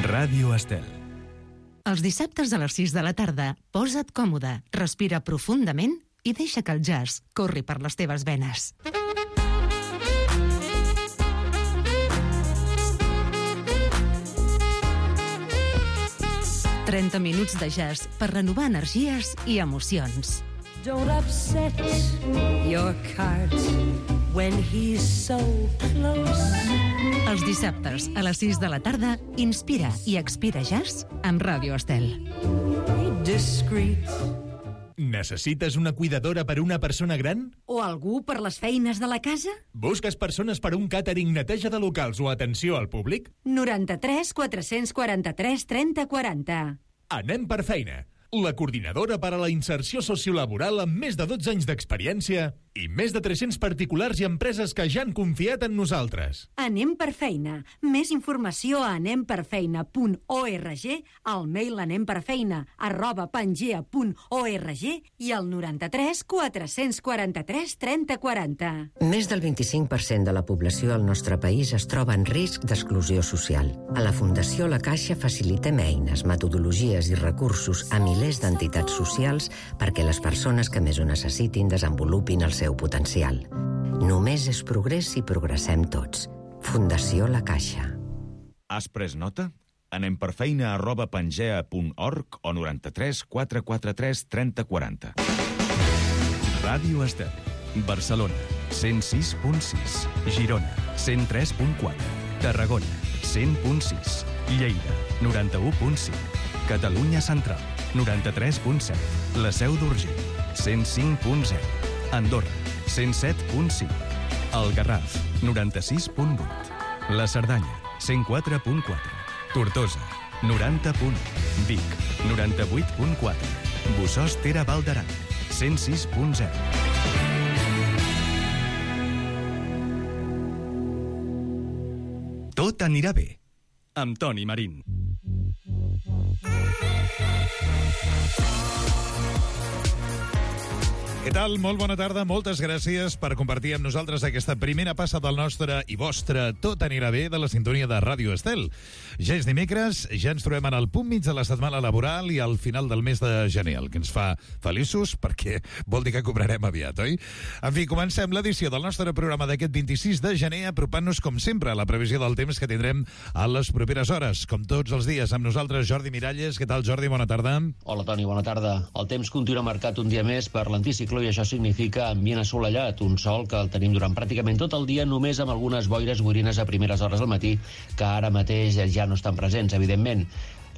Ràdio Estel. Els dissabtes a les 6 de la tarda, posa't còmode, respira profundament i deixa que el jazz corri per les teves venes. «30 minuts de jazz per renovar energies i emocions». Don't upset your cart when he's so close. Els dissabtes a les 6 de la tarda, inspira i expira jazz amb Ràdio Estel. Be discreet. Necessites una cuidadora per una persona gran? O algú per les feines de la casa? Busques persones per un càtering, neteja de locals o atenció al públic? 93 443 30 40. Anem per feina. La coordinadora per a la inserció sociolaboral amb més de 12 anys d'experiència i més de 300 particulars i empreses que ja han confiat en nosaltres. Anem per feina. Més informació a anemperfeina.org, al mail anemperfeina@pangea.org i al 93 443 30 40. Més del 25% de la població al nostre país es troba en risc d'exclusió social. A la Fundació La Caixa facilitem eines, metodologies i recursos a milers d'entitats socials perquè les persones que més ho necessitin desenvolupin el seu potencial. Només és progrés si progressem tots. Fundació La Caixa. Has pres nota? anemperfeina@pangea.org o 93 443 30 40. Ràdio Estel. Barcelona, 106.6. Girona, 103.4. Tarragona, 100.6. Lleida, 91.5. Catalunya Central, 93.7. La Seu d'Urgell, 105.0. Andorra, 107.5. El Garraf, 96.8. La Cerdanya, 104.4. Tortosa, 90.1. Vic, 98.4. Bossòst Tere Val d'Aran, 106.0. Tot anirà bé, amb Toni Marín. Què tal? Molt bona tarda, moltes gràcies per compartir amb nosaltres aquesta primera passa del nostre i vostre Tot anirà bé de la sintonia de Ràdio Estel. Ja és dimecres, ja ens trobem en el punt mig de la setmana laboral i al final del mes de gener, el que ens fa feliços perquè vol dir que cobrarem aviat, oi? En fi, comencem l'edició del nostre programa d'aquest 26 de gener apropant-nos, com sempre, a la previsió del temps que tindrem a les properes hores. Com tots els dies, amb nosaltres Jordi Miralles. Què tal, Jordi? Bona tarda. Hola, Toni, bona tarda. El temps continua marcat un dia més per l'anticicló i això significa ambient assolellat, un sol que el tenim durant pràcticament tot el dia, només amb algunes boires boirines a primeres hores del matí, que ara mateix ja no estan presents, evidentment.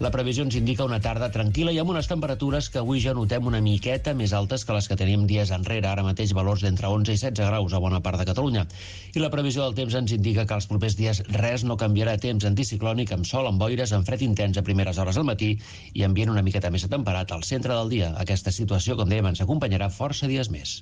La previsió ens indica una tarda tranquil·la i amb unes temperatures que avui ja notem una miqueta més altes que les que teníem dies enrere, ara mateix valors d'entre 11 i 16 graus a bona part de Catalunya. I la previsió del temps ens indica que els propers dies res no canviarà. Temps anticiclònic amb sol, amb boires, amb fred intens a primeres hores del matí i ambient una miqueta més atemperat al centre del dia. Aquesta situació, com dèiem, ens acompanyarà força dies més.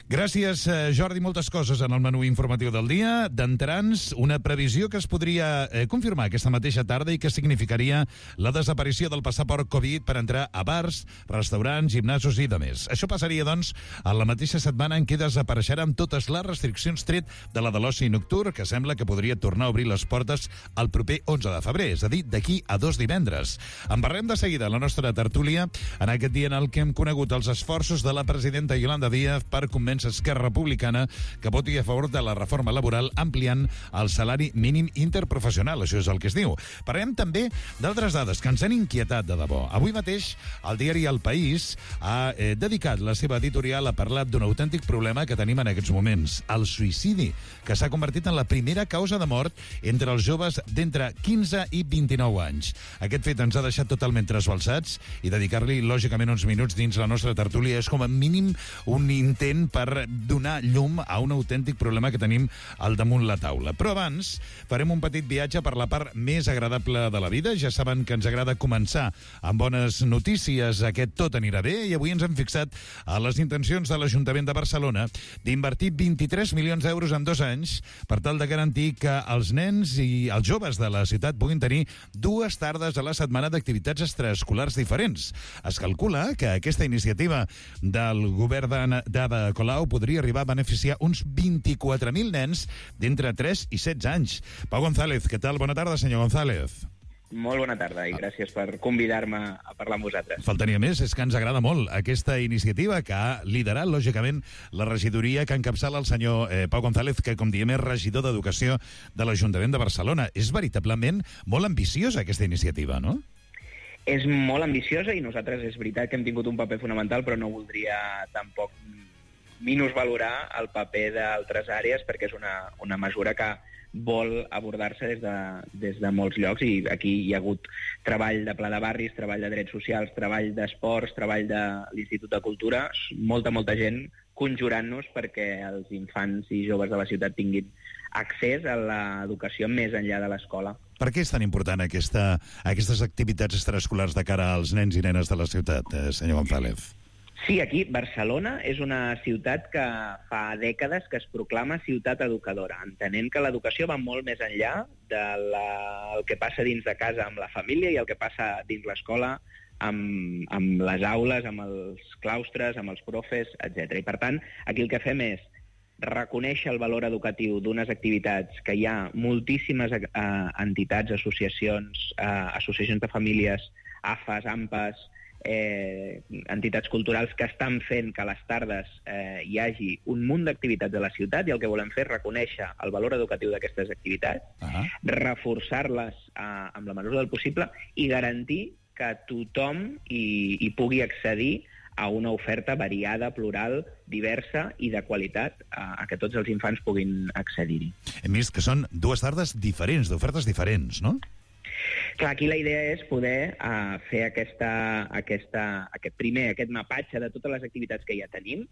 Gràcies, Jordi. Moltes coses en el menú informatiu del dia. D'entrants, una previsió que es podria confirmar aquesta mateixa tarda i que significaria la desaparició del passaport Covid per entrar a bars, restaurants, gimnasos i demés. Això passaria, doncs, a la mateixa setmana en què desapareixeran totes les restriccions tret de la de l'oci nocturn, que sembla que podria tornar a obrir les portes el proper 11 de febrer, és a dir, d'aquí a 2 divendres. En parlem de seguida a la nostra tertúlia en aquest dia en el que hem conegut els esforços de la presidenta Yolanda Díaz per convèncer Esquerra Republicana que voti a favor de la reforma laboral ampliant el salari mínim interprofessional, això és el que es diu. Parlem també d'altres dades que ens han inquietat de debò. Avui mateix el diari El País ha dedicat la seva editorial a parlar d'un autèntic problema que tenim en aquests moments, el suïcidi, que s'ha convertit en la primera causa de mort entre els joves d'entre 15 i 29 anys. Aquest fet ens ha deixat totalment trasbalsats i dedicar-li, lògicament, uns minuts dins la nostra tertúlia és com a mínim un intent per donar llum a un autèntic problema que tenim al damunt la taula. Però abans farem un petit viatge per la part més agradable de la vida. Ja saben que ens agrada començar amb bones notícies. Aquest Tot anirà bé i avui ens hem fixat a les intencions de l'Ajuntament de Barcelona d'invertir 23 milions d'euros en 2 anys per tal de garantir que els nens i els joves de la ciutat puguin tenir 2 tardes a la setmana d'activitats extraescolars diferents. Es calcula que aquesta iniciativa del govern d'Ada Colau podria arribar a beneficiar uns 24.000 nens d'entre 3 i 16 anys. Pau González, què tal? Bona tarda, senyor González. Molt bona tarda i gràcies per convidar-me a parlar amb vosaltres. Faltaria més, és que ens agrada molt aquesta iniciativa que ha liderat, lògicament, la regidoria que encapçala el senyor Pau González, que, com diem, és regidor d'Educació de l'Ajuntament de Barcelona. És veritablement molt ambiciosa aquesta iniciativa, no? És molt ambiciosa i nosaltres és veritat que hem tingut un paper fonamental, però no voldria tampoc minusvalorar el paper d'altres àrees perquè és una mesura que vol abordar-se des de molts llocs i aquí hi ha hagut treball de pla de barris, treball de drets socials, treball d'esports, treball de l'Institut de Cultura, molta gent conjurant-nos perquè els infants i joves de la ciutat tinguin accés a l'educació més enllà de l'escola. Per què és tan important aquestes activitats extraescolars de cara als nens i nenes de la ciutat, senyor González? Sí, aquí Barcelona és una ciutat que fa dècades que es proclama ciutat educadora, entenent que l'educació va molt més enllà del que passa dins de casa amb la família i el que passa dins l'escola amb les aules, amb els claustres, amb els profes, etc. I per tant, aquí el que fem és reconèixer el valor educatiu d'unes activitats que hi ha moltíssimes entitats, associacions de famílies, AFAs, AMPAs, entitats culturals que estan fent que a les tardes hi hagi un munt d'activitats a la ciutat i el que volem fer és reconèixer el valor educatiu d'aquestes activitats, reforçar-les amb la mesura del possible i garantir que tothom hi pugui accedir a una oferta variada, plural, diversa i de qualitat a que tots els infants puguin accedir-hi. Hem vist que són dues tardes diferents, d'ofertes diferents, no? Clar, aquí la idea és poder fer aquest mapatge de totes les activitats que ja tenim,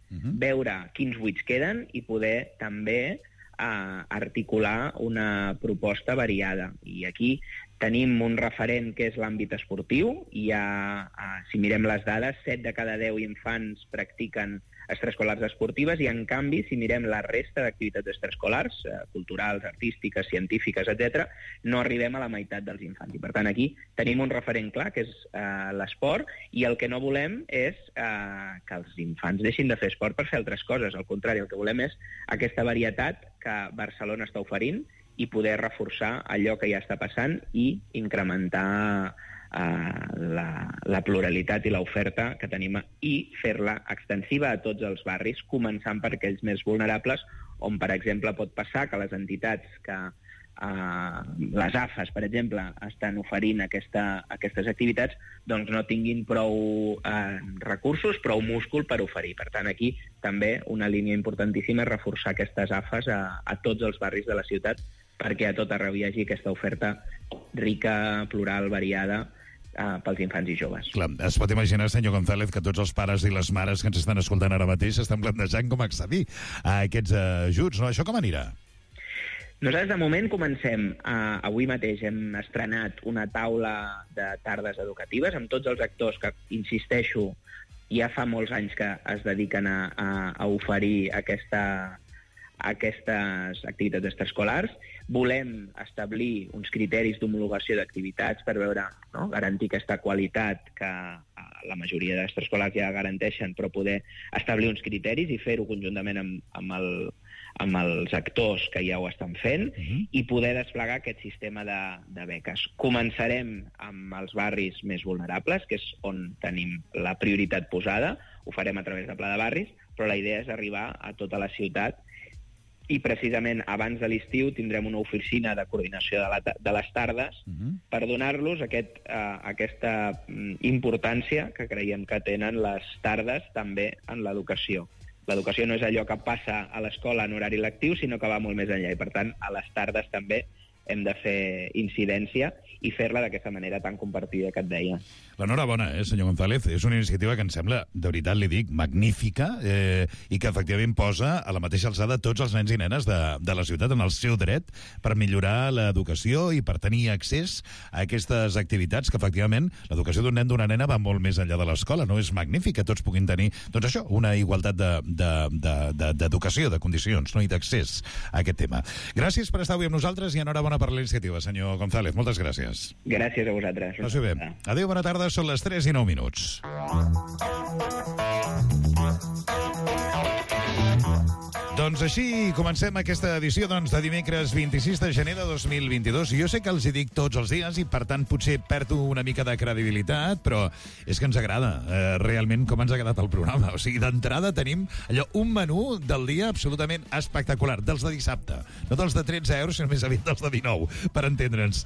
veure quins buits queden i poder també articular una proposta variada. I aquí tenim un referent que és l'àmbit esportiu. Si mirem les dades, 7 de cada 10 infants practiquen extraescolars esportives i, en canvi, si mirem la resta d'activitats extraescolars, culturals, artístiques, científiques, etc., no arribem a la meitat dels infants. I, per tant, aquí tenim un referent clar, que és l'esport, i el que no volem és que els infants deixin de fer esport per fer altres coses. Al contrari, el que volem és aquesta varietat que Barcelona està oferint i poder reforçar allò que ja està passant i incrementar la pluralitat i l'oferta que tenim i fer-la extensiva a tots els barris, començant per aquells més vulnerables, on, per exemple, pot passar que les entitats que les AFAs, per exemple, estan oferint aquestes activitats, doncs no tinguin prou recursos, prou múscul per oferir. Per tant, aquí també una línia importantíssima és reforçar aquestes AFAs a tots els barris de la ciutat perquè a tot arreu hi hagi aquesta oferta rica, plural, variada, pels infants i joves. Clar, es pot imaginar, senyor González, que tots els pares i les mares que ens estan escoltant ara mateix estan plantejant com accedir a aquests ajuts, no? Això com anirà? Nosaltres, de moment, comencem. Avui mateix hem estrenat una taula de tardes educatives amb tots els actors que, insisteixo, ja fa molts anys que es dediquen a oferir aquestes activitats extraescolars. Volem establir uns criteris d'homologació d'activitats per veure, no?, garantir aquesta qualitat que la majoria d'extraescolars ja garanteixen, però poder establir uns criteris i fer-ho conjuntament amb els actors que ja ho estan fent i poder desplegar aquest sistema de beques. Començarem amb els barris més vulnerables, que és on tenim la prioritat posada. Ho farem a través de Pla de Barris, però la idea és arribar a tota la ciutat i precisament abans de l'estiu tindrem una oficina de coordinació de les tardes per donar-los aquesta importància que creiem que tenen les tardes també en l'educació. L'educació no és allò que passa a l'escola en horari lectiu, sinó que va molt més enllà i, per tant, a les tardes també hem de fer incidència i fer-la d'aquesta manera tan compartida que et deia. L'enhorabona, senyor González. És una iniciativa que em sembla, de veritat li dic, magnífica i que efectivament posa a la mateixa alçada tots els nens i nenes de la ciutat en el seu dret per millorar l'educació i per tenir accés a aquestes activitats que efectivament l'educació d'un nen d'una nena va molt més enllà de l'escola. No és magnífic que tots puguin tenir, doncs això, una igualtat d'educació, de condicions, no?, i d'accés a aquest tema. Gràcies per estar avui amb nosaltres i enhorabona per la iniciativa, senyor González. Moltes gràcies. Gràcies a vosaltres. Passi bé. Adéu, bona tarda. Són les 3:09. Doncs així comencem aquesta edició de dimecres 26 de gener de 2022. Jo sé que els hi dic tots els dies i, per tant, potser perdo una mica de credibilitat, però és que ens agrada realment com ens ha quedat el programa. O sigui, d'entrada tenim un menú del dia absolutament espectacular, dels de dissabte. No dels de 13 euros, sinó més aviat dels de 19, per entendre'ns.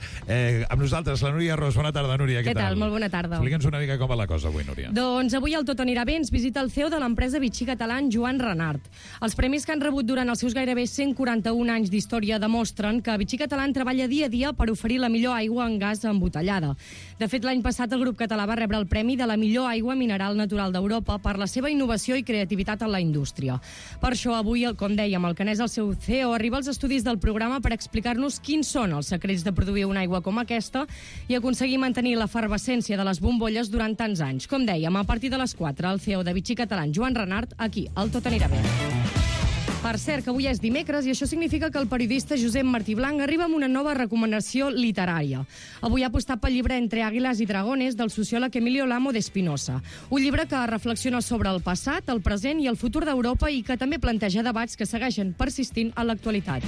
Amb nosaltres, la Núria Ros. Bona tarda, Núria. Què tal? Molt bona tarda. Explica'ns una mica com va la cosa avui, Núria. Doncs avui el Tot anirà bé ens visita el CEO de l'empresa Vichy Catalan, Joan Renart. Els premis que han rebut durant els seus gairebé 141 anys d'història demostren que Vichy Catalan treballa dia a dia per oferir la millor aigua en gas embotellada. De fet, l'any passat el grup català va rebre el premi de la millor aigua mineral natural d'Europa per la seva innovació i creativitat en la indústria. Per això, avui, com dèiem, el Canès, el seu CEO, arriba als estudis del programa per explicar-nos quins són els secrets de produir una aigua com aquesta i aconseguir mantenir l'efervescència de les bombolles durant tants anys. Com dèiem, a partir de les 4, el CEO de Vichy Catalan, Joan Renart, aquí, al Tot anirà bé. Per cert, que avui és dimecres i això significa que el periodista Josep Martí Blanc arriba amb una nova recomanació literària. Avui ha apostat pel llibre Entre àguiles i dragones del sociòleg Emilio Lamo de Espinosa. Un llibre que reflexiona sobre el passat, el present i el futur d'Europa i que també planteja debats que segueixen persistint en l'actualitat.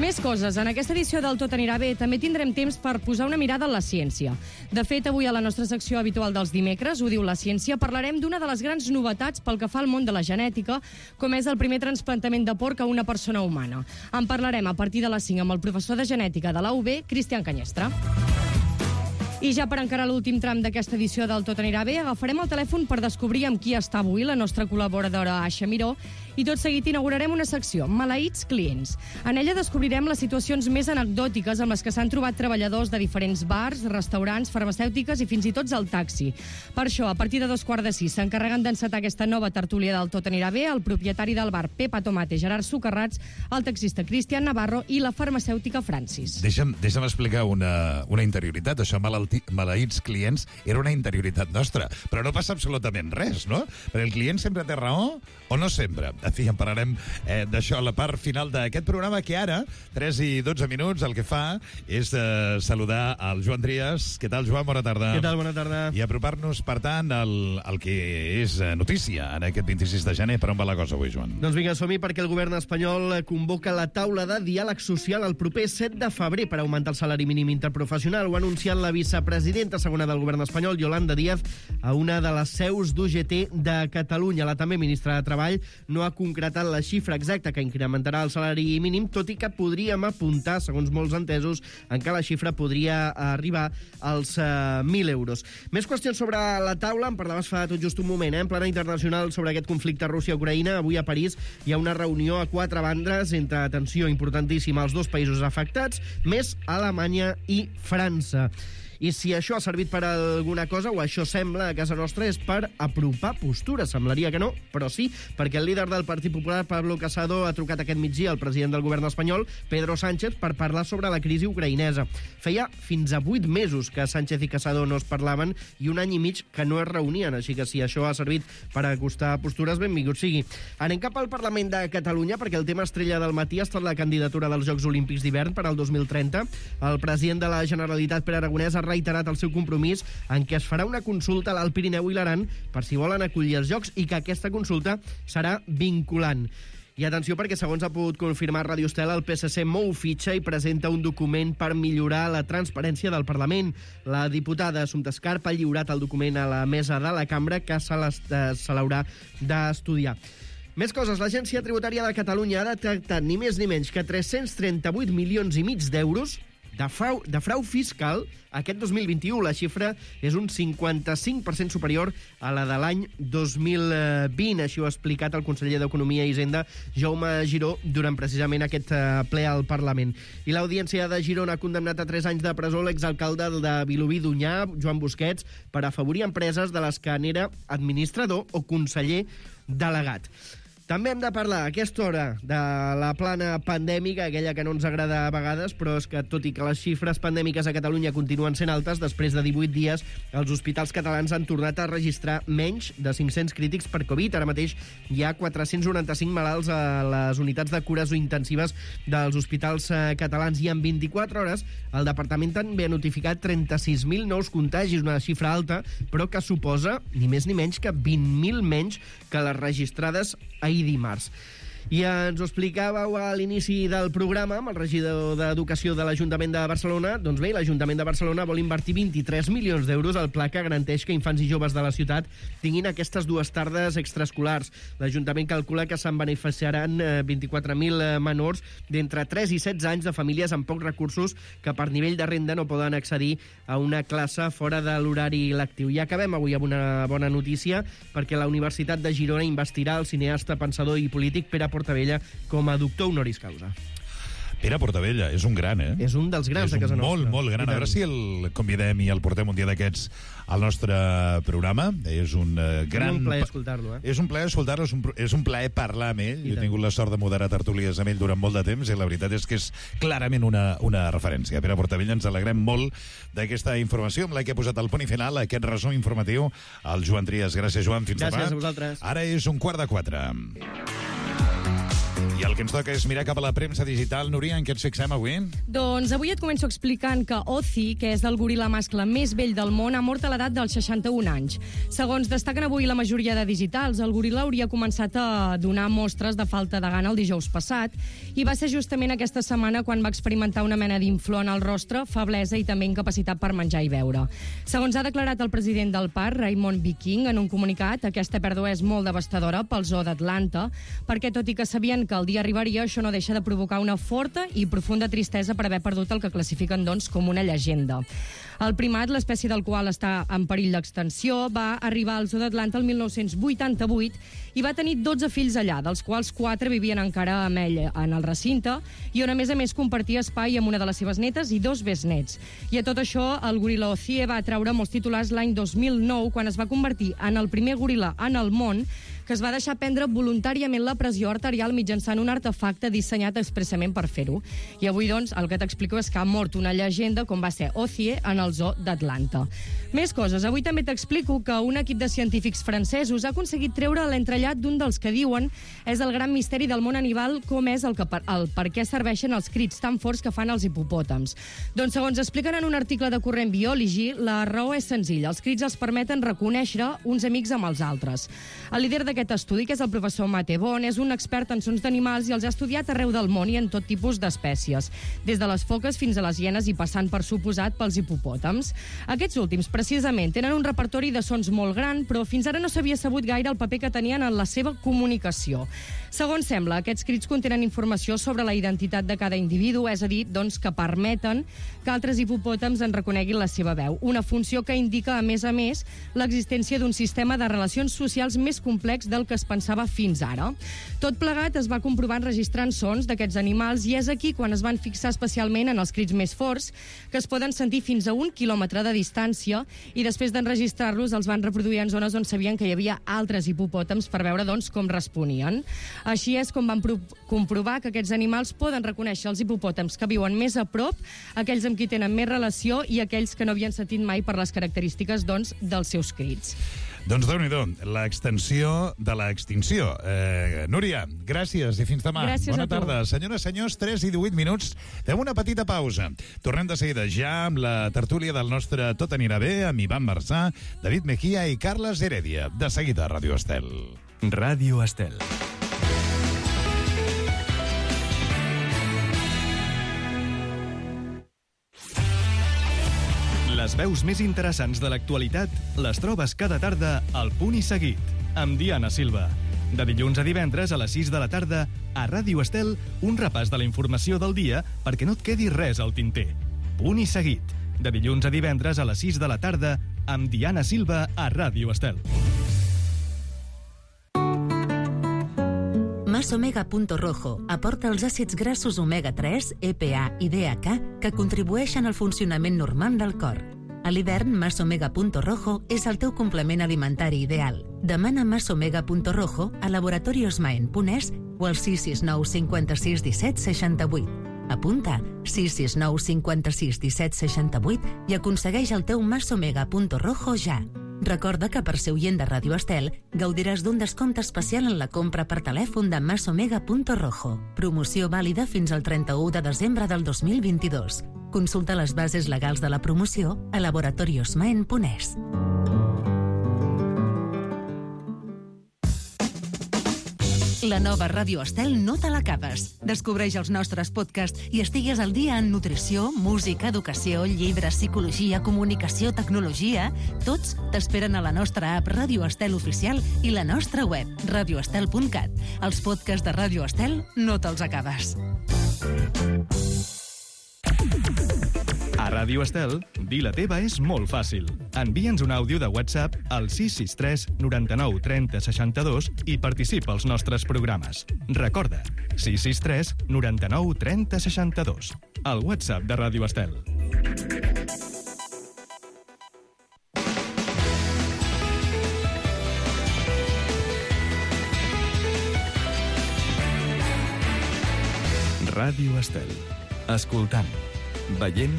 Més coses. En aquesta edició del Tot anirà bé també tindrem temps per posar una mirada en la ciència. De fet, avui a la nostra secció habitual dels dimecres, Ho diu la ciència, parlarem d'una de les grans novetats pel que fa al món de la genètica, com és el primer trasplantament de porc a una persona humana. En parlarem a partir de les 5 amb el professor de genètica de la UB, Cristian Canyestra. I ja per encarar l'últim tram d'aquesta edició del Tot anirà bé, agafarem el telèfon per descobrir amb qui està avui la nostra col·laboradora Aixa Miró i tot seguit inaugurarem una secció, Maleïts clients. En ella descobrirem les situacions més anecdòtiques amb les que s'han trobat treballadors de diferents bars, restaurants, farmacèutiques i fins i tot el taxi. Per això, a partir de 5:45, s'encarreguen d'encetar aquesta nova tertúlia del Tot anirà bé el propietari del bar Pepa Tomate, Gerard Socarrats, el taxista Cristian Navarro i la farmacèutica Francis. Deixa'm explicar una interioritat. Això, maleïts clients, era una interioritat nostra. Però no passa absolutament res, no? Perquè el client sempre té raó o no sempre. En fi, en parlarem d'això a la part final d'aquest programa, que ara, 3 i 12 minuts, el que fa és saludar el Joan Trias. Què tal, Joan? Bona tarda. Què tal? Bona tarda. I apropar-nos, per tant, al que és notícia en aquest 26 de gener. Per on va la cosa avui, Joan? Doncs vinga, som-hi, perquè el govern espanyol convoca la taula de diàleg social el proper 7 de febrer per augmentar el salari mínim interprofessional. Ho ha anunciat la vicepresidenta segona del govern espanyol, Yolanda Díaz, a una de les seus d'UGT de Catalunya. La també ministra de Treball no ha concretat la xifra exacta que incrementarà el salari mínim, tot i que podríem apuntar, segons molts entesos, en què la xifra podria arribar als 1.000 euros. Més qüestions sobre la taula, en parlaves fa tot just un moment, en plana internacional sobre aquest conflicte Rússia-Ucraïna. Avui a París hi ha una reunió a 4 bandes entre, atenció, importantíssima, els 2 països afectats, més Alemanya i França. I si això ha servit per alguna cosa, o això sembla a casa nostra, és per apropar postures. Semblaria que no, però sí, perquè el líder del Partit Popular, Pablo Casado, ha trucat aquest migdia al president del govern espanyol, Pedro Sánchez, per parlar sobre la crisi ucraïnesa. Feia fins a 8 mesos que Sánchez i Casado no es parlaven i 1 any i mig que no es reunien, així que si això ha servit per acostar postures, benvingut sigui. Anem cap al Parlament de Catalunya, perquè el tema estrella del matí ha estat la candidatura dels Jocs Olímpics d'hivern per al 2030. El president de la Generalitat, Pere Aragonès, ha reiterat el seu compromís en què es farà una consulta a l'Alt Pirineu i l'Aran per si volen acollir els Jocs i que aquesta consulta serà vinculant. I atenció, perquè segons ha pogut confirmar Ràdio Estel, el PSC mou fitxa i presenta un document per millorar la transparència del Parlament. La diputada Assumpta Escarp ha lliurat el document a la mesa de la cambra, que se l'haurà d'estudiar. Més coses. L'Agència Tributària de Catalunya ha detectat ni més ni menys que 338 milions i mig d'euros de frau fiscal aquest 2021. La xifra és un 55% superior a la de l'any 2020. Així ho ha explicat el conseller d'Economia i Hisenda, Jaume Giró, durant precisament aquest ple al Parlament. I l'Audiència de Girona ha condemnat a 3 anys de presó l'exalcalde de Vilobí d'Onyar, Joan Busquets, per afavorir empreses de les que n'era administrador o conseller delegat. També hem de parlar a aquesta hora de la plana pandèmica, aquella que no ens agrada a vegades, però és que, tot i que les xifres pandèmiques a Catalunya continuen sent altes, després de 18 dies els hospitals catalans han tornat a registrar menys de 500 crítics per Covid. Ara mateix hi ha 495 malalts a les unitats de cures intensives dels hospitals catalans i en 24 hores el departament també ha notificat 36.000 nous contagis, una xifra alta, però que suposa ni més ni menys que 20.000 menys que les registrades ahir dimarts. I ens ho explicàveu a l'inici del programa amb el regidor d'Educació de l'Ajuntament de Barcelona. Doncs bé, l'Ajuntament de Barcelona vol invertir 23 milions d'euros al pla que garanteix que infants i joves de la ciutat tinguin aquestes 2 tardes extraescolars. L'Ajuntament calcula que se'n beneficiaran 24.000 menors d'entre 3 i 16 anys de famílies amb pocs recursos que per nivell de renda no poden accedir a una classe fora de l'horari lectiu. I acabem avui amb una bona notícia, perquè la Universitat de Girona investirà el cineasta, pensador i polític Pere Portabella com a doctor honoris causa. Pere Portabella, és un gran, És un dels grans de casa nostra. És molt gran. A veure si el convidem i el portem un dia d'aquests al nostre programa. És un gran... És un plaer escoltar-lo, És un plaer escoltar-lo, és un plaer parlar amb ell. Jo he tingut la sort de moderar tertúlies amb ell durant molt de temps i la veritat és que és clarament una referència. Pere Portabella, ens alegrem molt d'aquesta informació amb la que ha posat el punt i final a aquest resum informatiu al Joan Trias. Gràcies, Joan. Fins demà. Gràcies a vosaltres. Ara és 3:15. I el que ens toca és mirar cap a la premsa digital. Núria, en què ens fixem avui? Doncs avui et començo explicant que Ozzy, que és el goril·la mascle més vell del món, ha mort a l'edat dels 61 anys. Segons destaquen avui la majoria de digitals, el goril·la hauria començat a donar mostres de falta de gana el dijous passat i va ser justament aquesta setmana quan va experimentar una mena d'inflor en el rostre, feblesa i també incapacitat per menjar i beure. Segons ha declarat el president del parc, Raymond Viking, en un comunicat, aquesta pèrdua és molt devastadora pel zoo d'Atlanta, perquè tot i que sabien que el dia arribaria, això no deixa de provocar una forta i profunda tristesa per haver perdut el que classifiquen, doncs, com una llegenda. El primat, l'espècie del qual està en perill d'extensió, va arribar al zoo d'Atlanta el 1988 i va tenir 12 fills allà, dels quals 4 vivien encara amb ell en el recinte i on, a més, compartia espai amb una de les seves netes i 2 besnets. I a tot això, el goril·la Ozzy va treure molts titulars l'any 2009, quan es va convertir en el primer goril·la en el món que es va deixar prendre voluntàriament la pressió arterial mitjançant un artefacte dissenyat expressament per fer-ho. I avui, doncs, el que t'explico és que ha mort una llegenda com va ser Ozzy en el zoo d'Atlanta. Més coses. Avui també t'explico que un equip de científics francesos ha aconseguit treure l'entrellat d'un dels que diuen és el gran misteri del món animal, com és el per què serveixen els crits tan forts que fan els hipopòtams. Doncs, segons expliquen en un article de Current Biology, la raó és senzilla. Els crits els permeten reconèixer uns amics amb els altres. El líder d'aquest estudi, que és el professor Mate Bon, és un expert en sons d'animals i els ha estudiat arreu del món i en tot tipus d'espècies, des de les foques fins a les hienes i passant, per suposat, pels hipopòtams. Aquests últims, precisament, tenen un repertori de sons molt gran, però fins ara no s'havia sabut gaire el paper que tenien en la seva comunicació. Segons sembla, aquests crits contenen informació sobre la identitat de cada individu, és a dir, doncs, que permeten que altres hipopòtams en reconeguin la seva veu, una funció que indica, a més, l'existència d'un sistema de relacions socials més complex del que es pensava fins ara. Tot plegat es va comprovar enregistrant sons d'aquests animals i és aquí quan es van fixar especialment en els crits més forts, que es poden sentir fins a 1 quilòmetre de distància, i després d'enregistrar-los els van reproduir en zones on sabien que hi havia altres hipopòtams per veure, doncs, com responien. Així és com van comprovar que aquests animals poden reconèixer els hipopòtams que viuen més a prop, aquells amb qui tenen més relació i aquells que no havien sentit mai per les característiques, doncs, dels seus crits. Doncs déu-n'hi-do, l'extensió de l'extinció. Núria, gràcies i fins demà. Gràcies Bona a tu. tarda. Senyores, senyors, 3:18. Fem una petita pausa. Tornem de seguida ja amb la tertúlia del nostre Tot anirà bé, amb Ivan Marçà, David Mejía i Carles Heredia. De seguida, Ràdio Estel. Ràdio Estel. Les veus més interessants de l'actualitat les trobes cada tarda al Punt i Seguit, amb Diana Silva. De dilluns a divendres a les 6 de la tarda, a Ràdio Estel, un repàs de la informació del dia perquè no et quedi res al tinter. Punt i Seguit, de dilluns a divendres a les 6 de la tarda, amb Diana Silva a Ràdio Estel. Masomega.rojo aporta els àcids grassos omega-3, EPA i DHA que contribueixen al funcionament normal del cor. A l'hivern, Masomega.rojo és el teu complement alimentari ideal. Demana Masomega.rojo a laboratoriosmaen.es o al 669 56 17 68. Apunta 669 56 17 68 i aconsegueix el teu Masomega.rojo ja. Recorda que per ser oient de Ràdio Estel gaudiràs d'un descompte especial en la compra per telèfon de Masomega.rojo. Promoció vàlida fins al 31 de desembre del 2022. Consulta les bases legals de la promoció a laboratoriosmaen.es. La nova Ràdio Estel no te l'acabes. Descobreix els nostres podcasts i estigues al dia en nutrició, música, educació, llibres, psicologia, comunicació, tecnologia. Tots t'esperen a la nostra app Ràdio Estel Oficial i la nostra web, radioestel.cat. Els podcasts de Ràdio Estel no te'ls acabes. A Ràdio Estel, dir la teva és molt fàcil. Envia'ns un àudio de WhatsApp al 663 99 30 62 i participa als nostres programes. Recorda, 663 99 30 62. El WhatsApp de Ràdio Estel. Ràdio Estel. Escoltant, veient,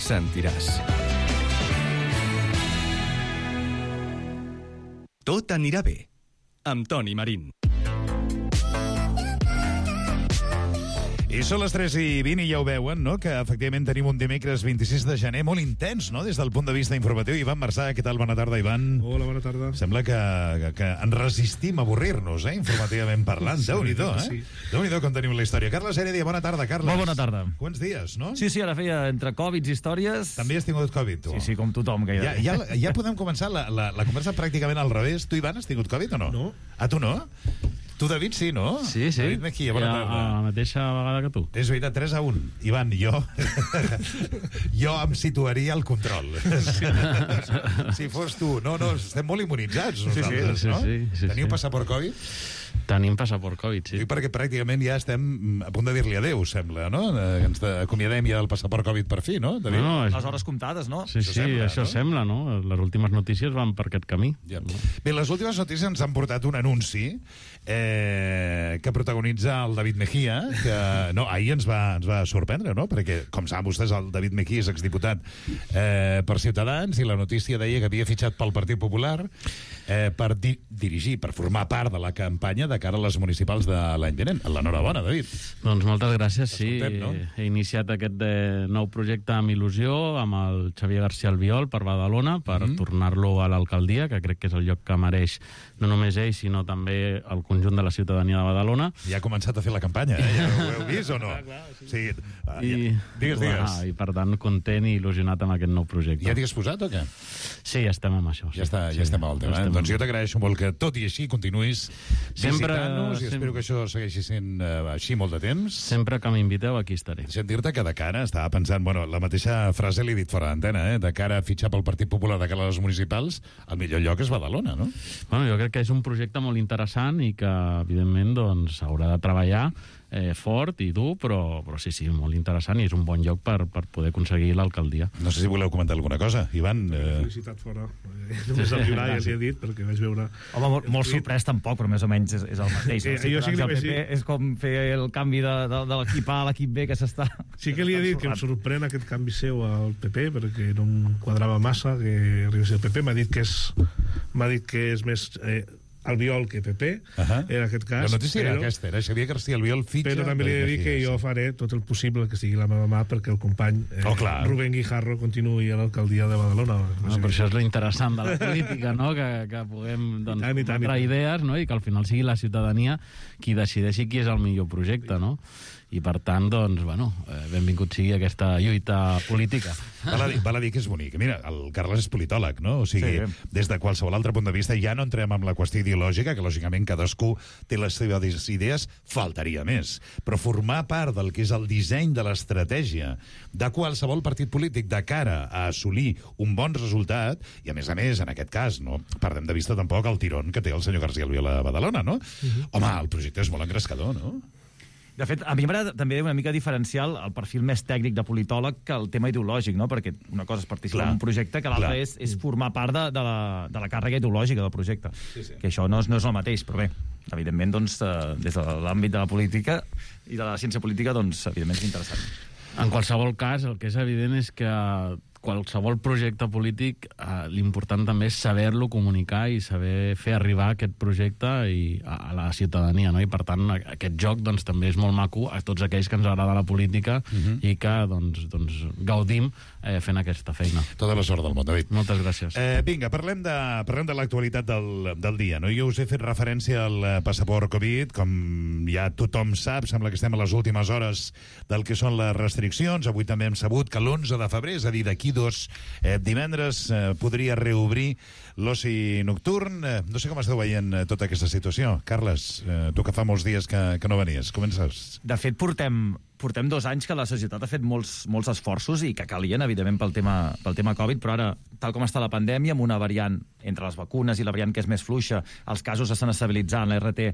sentiràs. Tot anirà bé, amb Toni Marín. I són les 3:20 i ja ho veuen, no?, que efectivament tenim un dimecres 26 de gener molt intens, no?, des del punt de vista informatiu. Ivan Marsà, què tal? Bona tarda, Ivan. Hola, bona tarda. Sembla que ens resistim a avorrir-nos, informativament parlant. Sí, Déu-n'hi-do, sí. Déu-n'hi-do com tenim la història. Carles Heredia, bona tarda, Carles. Molt bona tarda. Quants dies, no? Sí, ara feia entre Covid i històries... També has tingut Covid, tu? Sí, com tothom. Que ja podem començar la conversa pràcticament al revés. Tu, Ivan, has tingut Covid o no? No. Ah, tu no? Tu, David, sí, no? Sí. David Mejía, bona tarda. A la mateixa vegada que tu. És veritat, 3-1. Ivan, jo em situaria al control. Si fos tu. No, estem molt immunitzats nosaltres, no? Sí. Teniu passaport Covid? Tenim passaport Covid, sí. Dic perquè pràcticament ja estem a punt de dir-li adéu, sembla, no? Ens acomiadem ja del passaport Covid per fi, no? No, les hores comptades, no? Sí, això sembla, no? Les últimes notícies van per aquest camí. Ja. Bé, les últimes notícies ens han portat un anunci que protagonitza el David Mejía, que ahir ens va sorprendre, no? Perquè, com saben vostès, el David Mejía és exdiputat per Ciutadans i la notícia deia que havia fitxat pel Partit Popular per dirigir, per formar part de la campanya de cara a les municipals de l'any vinent. L'enhorabona, David. Doncs moltes gràcies, sí. Content, no? He iniciat aquest nou projecte amb il·lusió, amb el Xavier García Albiol per Badalona, per tornar-lo a l'alcaldia, que crec que és el lloc que mereix no només ell, sinó també el conjunt de la ciutadania de Badalona. Ja ha començat a fer la campanya, ja ho heu vist o no? Clar, sí. Sí. Digues. I per tant, content i il·lusionat amb aquest nou projecte. Ja t'hi has posat o què? Sí, ja estem amb això. Ja estem al tema. Doncs jo t'agraeixo molt que tot i així continuïs visitant-nos i espero que això segueixi sent així molt de temps. Sempre que m'inviteu aquí estaré. Deixa'm dir-te que de cara estava pensant, la mateixa frase l'he dit fora d'antena, de cara a fitxar pel Partit Popular de cara a les municipals, el millor lloc és Badalona, no? Bueno, jo crec que és un projecte molt interessant i que, evidentment, doncs, haurà de treballar fort i dur, però sí, molt interessant i és un bon lloc per poder aconseguir l'alcaldia. No sé si voleu comentar alguna cosa, Ivan. Felicitat fora. Només el Pilar ja s'hi ha dit, perquè vaig veure... Home, molt sorprès tampoc, però més o menys és el mateix. El PP és com fer el canvi de l'equip A a l'equip B que s'està... Sí que li he dit que em sorprèn aquest canvi seu al PP, perquè no em quadrava massa que arribés el PP. M'ha dit que és més... Albiol que PP, en aquest cas. La notícia era aquesta, era Xavier García Albiol fitxa... Però també li he de dir que jo faré tot el possible que estigui a la meva mà perquè el company Rubén Guijarro continuï a l'alcaldia de Badalona. Però això és lo interessant de la política, no? Que puguem comprar idees, no? I que al final sigui la ciutadania qui decideixi qui és el millor projecte, no? I per tant, doncs, benvingut sigui aquesta lluita política. Val a dir que és bonic. Mira, el Carles és politòleg, no? O sigui, des de qualsevol altre punt de vista ja no entrem en la qüestió ideològica, que lògicament cadascú té les seves idees, faltaria més. Però formar part del que és el disseny de l'estratègia de qualsevol partit polític de cara a assolir un bon resultat, i a més, en aquest cas, no perdem de vista tampoc el tirón que té el senyor García Albiol a Badalona, no? Home, el projecte és molt engrescador, no? De fet, a mi m'agrada també una mica diferenciar el perfil més tècnic de politòleg que el tema ideològic, no? Perquè una cosa és participar en un projecte, que l'altra és formar part de la càrrega ideològica del projecte. Que això no és el mateix, però bé, evidentment, doncs, des de l'àmbit de la política i de la ciència política, doncs, evidentment és interessant. En qualsevol cas, el que és evident és que qualsevol projecte polític, l'important també és saber-lo comunicar i saber fer arribar aquest projecte a la ciutadania, no? I per tant aquest joc doncs, també és molt maco a tots aquells que ens agrada la política i que doncs, gaudim fent aquesta feina. Tota la sort del món, David. Moltes gràcies. Vinga, parlem de l'actualitat del dia. No? Jo us he fet referència al passaport Covid, com ja tothom sap, sembla que estem a les últimes hores del que són les restriccions. Avui també hem sabut que l'11 de febrer, és a dir, d'aquí 2 divendres, podria reobrir l'oci nocturn. No sé com esteu veient tota aquesta situació. Carles, tu que fa molts dies que no venies, comences. De fet, portem 2 anys que la societat ha fet molts esforços i que calien, evidentment, pel tema Covid, però ara, tal com està la pandèmia, amb una variant entre les vacunes i la variant que és més fluixa, els casos s'estan estabilitzant, la RT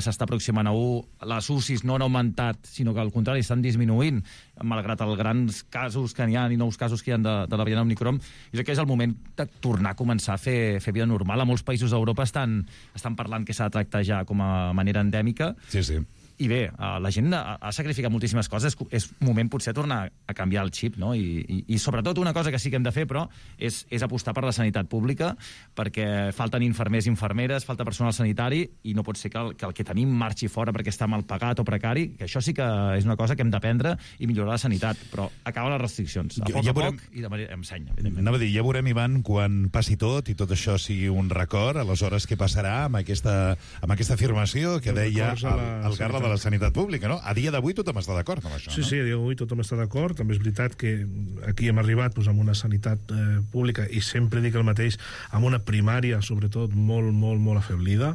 s'està aproximant a 1, les UCIs no han augmentat, sinó que al contrari estan disminuint, malgrat els grans casos que n'hi ha i nous casos que hi ha de la variant Omicron. Jo crec que és el moment de tornar a començar a fer vida normal. A molts països d'Europa estan parlant que s'ha de tractar ja com a manera endèmica. Sí. I bé, la gent ha sacrificat moltíssimes coses, és moment potser tornar a canviar el xip, no? I sobretot una cosa que sí que hem de fer, però, és apostar per la sanitat pública, perquè falten infermers i infermeres, falta personal sanitari, i no pot ser que el que tenim marxi fora perquè està mal pagat o precari, que això sí que és una cosa que hem d'aprendre i millorar la sanitat, però acaba les restriccions, a poc i de manera ensenya, evidentment. Anava a dir, ja veurem, Ivan, quan passi tot i tot això sigui un record, aleshores què passarà amb aquesta afirmació que deia el Carles de la sanitat pública, no? A dia d'avui tothom està d'acord amb això, sí, no? Sí, a dia d'avui tothom està d'acord. També és veritat que aquí hem arribat amb una sanitat pública, i sempre dic el mateix, amb una primària, sobretot, molt afeblida,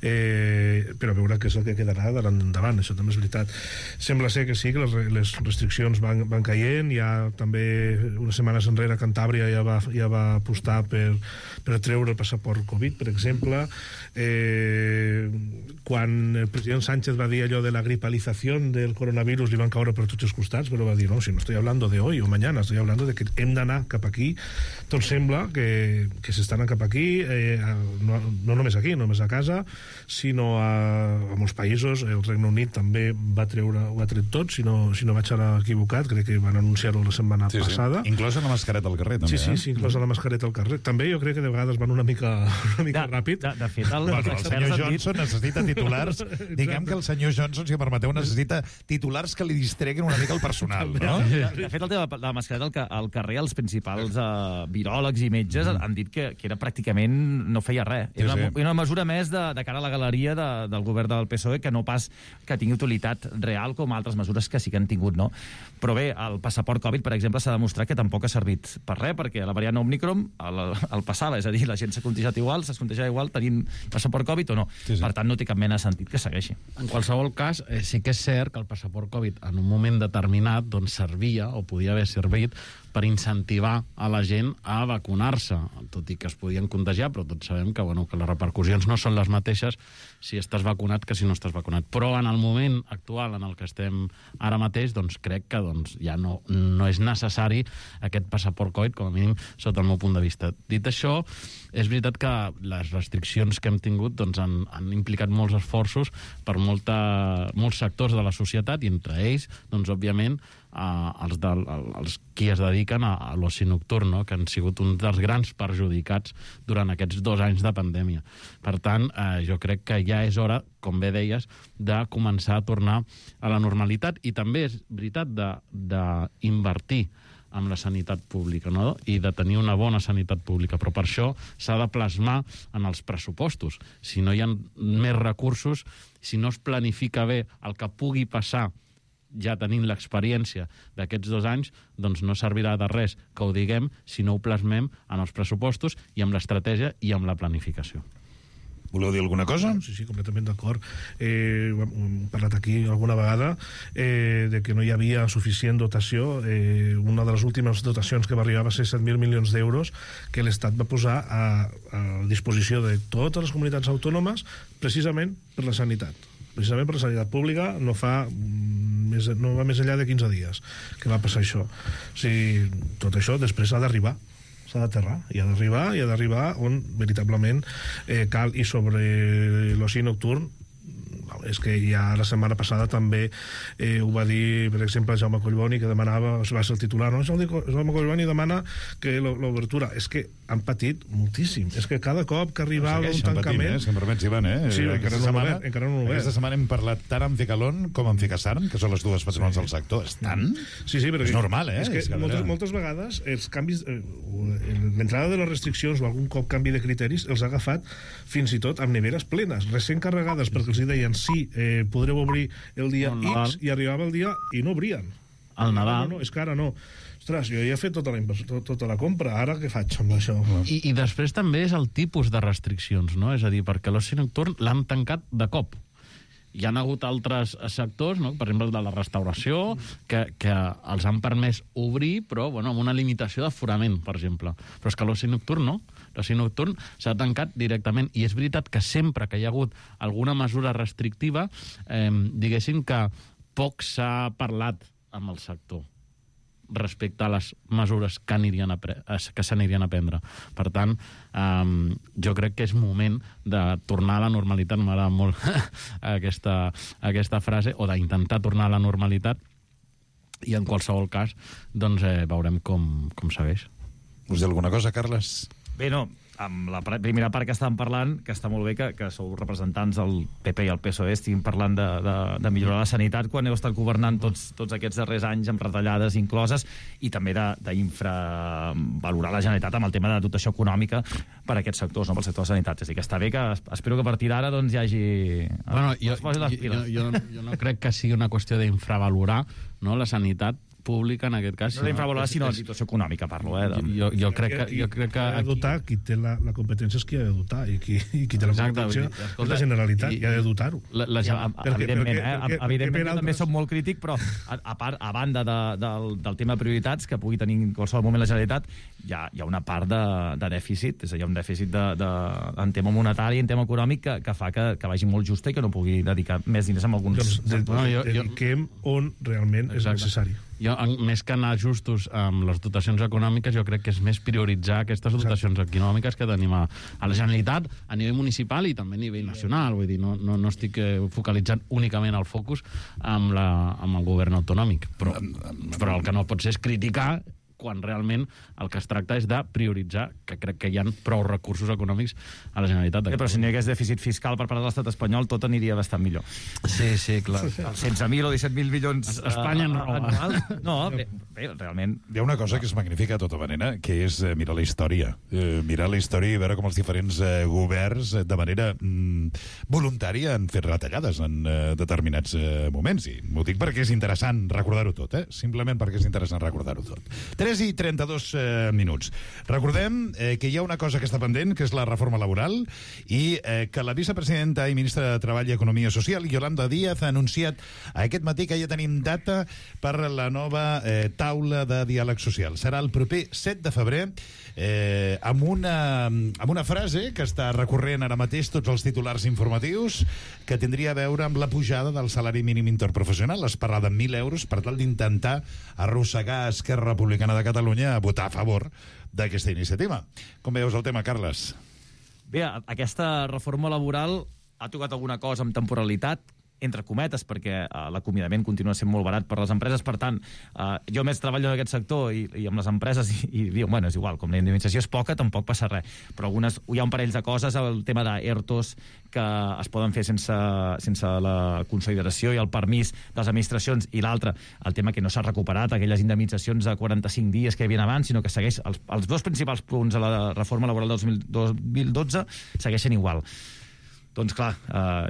però a veure què és el que quedarà endavant, això també és veritat. Sembla ser que sí, que les restriccions van caient. Ja també, unes setmanes enrere, Cantàbria ja va apostar per treure el passaport Covid, per exemple. Quan el president Sánchez va dir allò de la gripalización del coronavirus, li van caure per tots els costats, però va dir, no, si no estoy hablando de hoy o mañana, estoy hablando de que hem d'anar cap aquí. Doncs sembla que s'està anant cap aquí, no només aquí, no només a casa, sinó a molts països. El Regne Unit també ho ha tret tot, si no vaig anar equivocat, crec que van anunciar-ho la setmana passada. Inclosa la mascareta al carrer, també. Sí, inclosa la mascareta al carrer. També jo crec que de vegades van una mica ràpid. De fet, el senyor Johnson necessita titulars. Diguem que el senyor Johnson, si em permeteu, necessita titulars que li distreguen una mica el personal, no? De fet, el tema de la mascareta al carrer, els principals viròlegs i metges han dit que era pràcticament no feia res. Era una mesura més de cara a la galeria del govern del PSOE, que no pas que tingui utilitat real com altres mesures que sí que han tingut, no? Però bé, el passaport Covid, per exemple, s'ha demostrat que tampoc ha servit per res, perquè la variant Omicron el passava, és a dir, la gent s'ha contagiat igual tenint passaport Covid o no. Per tant, no té cap mena de sentit que segueixi. En qualsevol cas, sí que és cert que el passaport Covid en un moment determinat doncs servia, o podia haver servit, per incentivar a la gent a vacunar-se, tot i que es podien contagiar, però tots sabem que les repercussions no són les mateixes si estàs vacunat que si no estàs vacunat. Però en el moment actual en el que estem ara mateix, doncs crec que ja no és necessari aquest passaport Covid, com a mínim sota el meu punt de vista. Dit això, és veritat que les restriccions que hem tingut han implicat molts esforços per molts sectors de la societat, i entre ells, òbviament, els qui es dediquen a l'oci nocturn, no? Que han sigut un dels grans perjudicats durant aquests 2 anys de pandèmia. Per tant, jo crec que ja és hora, com bé deies, de començar a tornar a la normalitat, i també és veritat d'invertir amb la sanitat pública, no? I de tenir una bona sanitat pública, però per això s'ha de plasmar en els pressupostos. Si no hi ha més recursos, si no es planifica bé el que pugui passar ja tenint l'experiència d'aquests 2 anys, doncs no servirà de res que ho diguem si no ho plasmem en els pressupostos i amb l'estratègia i amb la planificació. Voleu dir alguna cosa? Sí, completament d'acord. Hem parlat aquí alguna vegada de que no hi havia suficient dotació. Una de les últimes dotacions que va arribar va ser 7.000 milions d'euros que l'Estat va posar a disposició de totes les comunitats autònomes precisament per la sanitat. Precisament per la sanitat pública. No va més enllà de 15 dies que va passar això. O sigui, tot això després ha d'arribar, s'ha d'aterrar, i ha d'arribar on veritablement cal. I sobre l'oci nocturn, és que ja la setmana passada també ho va dir, per exemple, Jaume Collboni, que demanava, va ser el titular, no? Jaume Collboni demana que l'obertura. És que han patit moltíssim. És que cada cop que arribava un tancament... Si em permets, Ivan, Sí, encara no l'ho obert. Aquesta setmana hem parlat tant amb Ficalon com amb Ficasarn, que són les dues patronals del sector. Estan... Sí, però és normal, És que moltes vegades els canvis, l'entrada de les restriccions o algun cop canvi de criteris els ha agafat fins i tot amb neveres plenes, recent carregades, perquè els deien sí, podreu obrir el dia X, i arribava el dia i no obrien. Al Nadal. No, és que ara no. Ostres, jo ja he fet tota la compra, ara què faig amb això? I després també és el tipus de restriccions, no? És a dir, perquè l'oci nocturn l'han tancat de cop. Hi ha hagut altres sectors, no? Per exemple, el de la restauració, que els han permès obrir, però amb una limitació d'aforament, per exemple. Però és que l'oci nocturn no. L'oci nocturn s'ha tancat directament. I és veritat que sempre que hi ha hagut alguna mesura restrictiva, diguéssim que poc s'ha parlat amb el sector respecte a les mesures que s'anirien a prendre. Per tant, jo crec que és moment de tornar a la normalitat, m'agrada molt aquesta frase, o d'intentar tornar a la normalitat, i en qualsevol cas doncs veurem com segueix. Us diu alguna cosa, Carles? Bé, no, amb la primera part que estàvem parlant, que està molt bé que sou representants del PP i el PSOE, estiguin parlant de millorar la sanitat quan heu estat governant tots aquests darrers anys amb retallades incloses, i també d'infravalorar la Generalitat amb el tema de dotació econòmica per a aquests sectors, no pel sector de sanitat. És a dir, que està bé que espero que a partir d'ara doncs, hi hagi... Jo no crec que sigui una qüestió d'infravalorar la sanitat pública, en aquest cas. No d'infravalorar, sinó la situació econòmica, parlo. Jo crec que... Ha de dotar, qui té la competència és qui ha de dotar, i qui té la competència és la Generalitat, i ha de dotar-ho. Evidentment, també som molt crític, però a banda del tema de prioritats, que pugui tenir en qualsevol moment la Generalitat, hi ha una part de dèficit, és a dir, hi ha un dèficit en tema monetari, en tema econòmic, que fa que vagi molt justa i que no pugui dedicar més diners a alguns... Dediquem on realment és necessari. Jo, més que anar justos amb les dotacions econòmiques, jo crec que és més prioritzar aquestes dotacions econòmiques que tenim a la Generalitat, a nivell municipal i també a nivell nacional. Vull dir, no estic focalitzant únicament el focus amb el govern autonòmic. Però el que no pot ser és criticar quan realment el que es tracta és de prioritzar, que crec que hi ha prou recursos econòmics a la Generalitat. Però si no hi hagués dèficit fiscal per part de l'estat espanyol, tot aniria bastant millor. Sí, clar. 16.000 o 17.000 milions Espanya no anual. No, bé, realment... Hi ha una cosa que és magnífica de tota manera, que és mirar la història. Mirar la història i veure com els diferents governs de manera voluntària han fet retallades en determinats moments. I m'ho dic perquè és interessant recordar-ho tot, simplement perquè és interessant recordar-ho tot. 3 i 32 minuts. Recordem que hi ha una cosa que està pendent, que és la reforma laboral, i que la vicepresidenta i ministra de Treball i Economia Social, Yolanda Díaz, ha anunciat aquest matí que ja tenim data per la nova taula de diàleg social. Serà el proper 7 de febrer, amb una frase que està recorrent ara mateix tots els titulars informatius, que tindria a veure amb la pujada del salari mínim interprofessional. Es parla de 1.000 euros per tal d'intentar arrossegar Esquerra Republicana de Catalunya a votar a favor d'aquesta iniciativa. Com veus el tema, Carles? Bé, aquesta reforma laboral ha tocat alguna cosa amb temporalitat, entre cometes, perquè l'acomiadament continua sent molt barat per les empreses. Per tant, jo més treballo en aquest sector i amb les empreses i diuen, bueno, és igual, com la indemnització és poca, tampoc passa res. Però hi ha un parell de coses, el tema d'ERTOs que es poden fer sense la consideració i el permís de les administracions, i l'altre, el tema que no s'ha recuperat, aquelles indemnitzacions de 45 dies que hi havia abans, sinó que segueix els dos principals punts de la reforma laboral del 2012 segueixen igual. Doncs clar,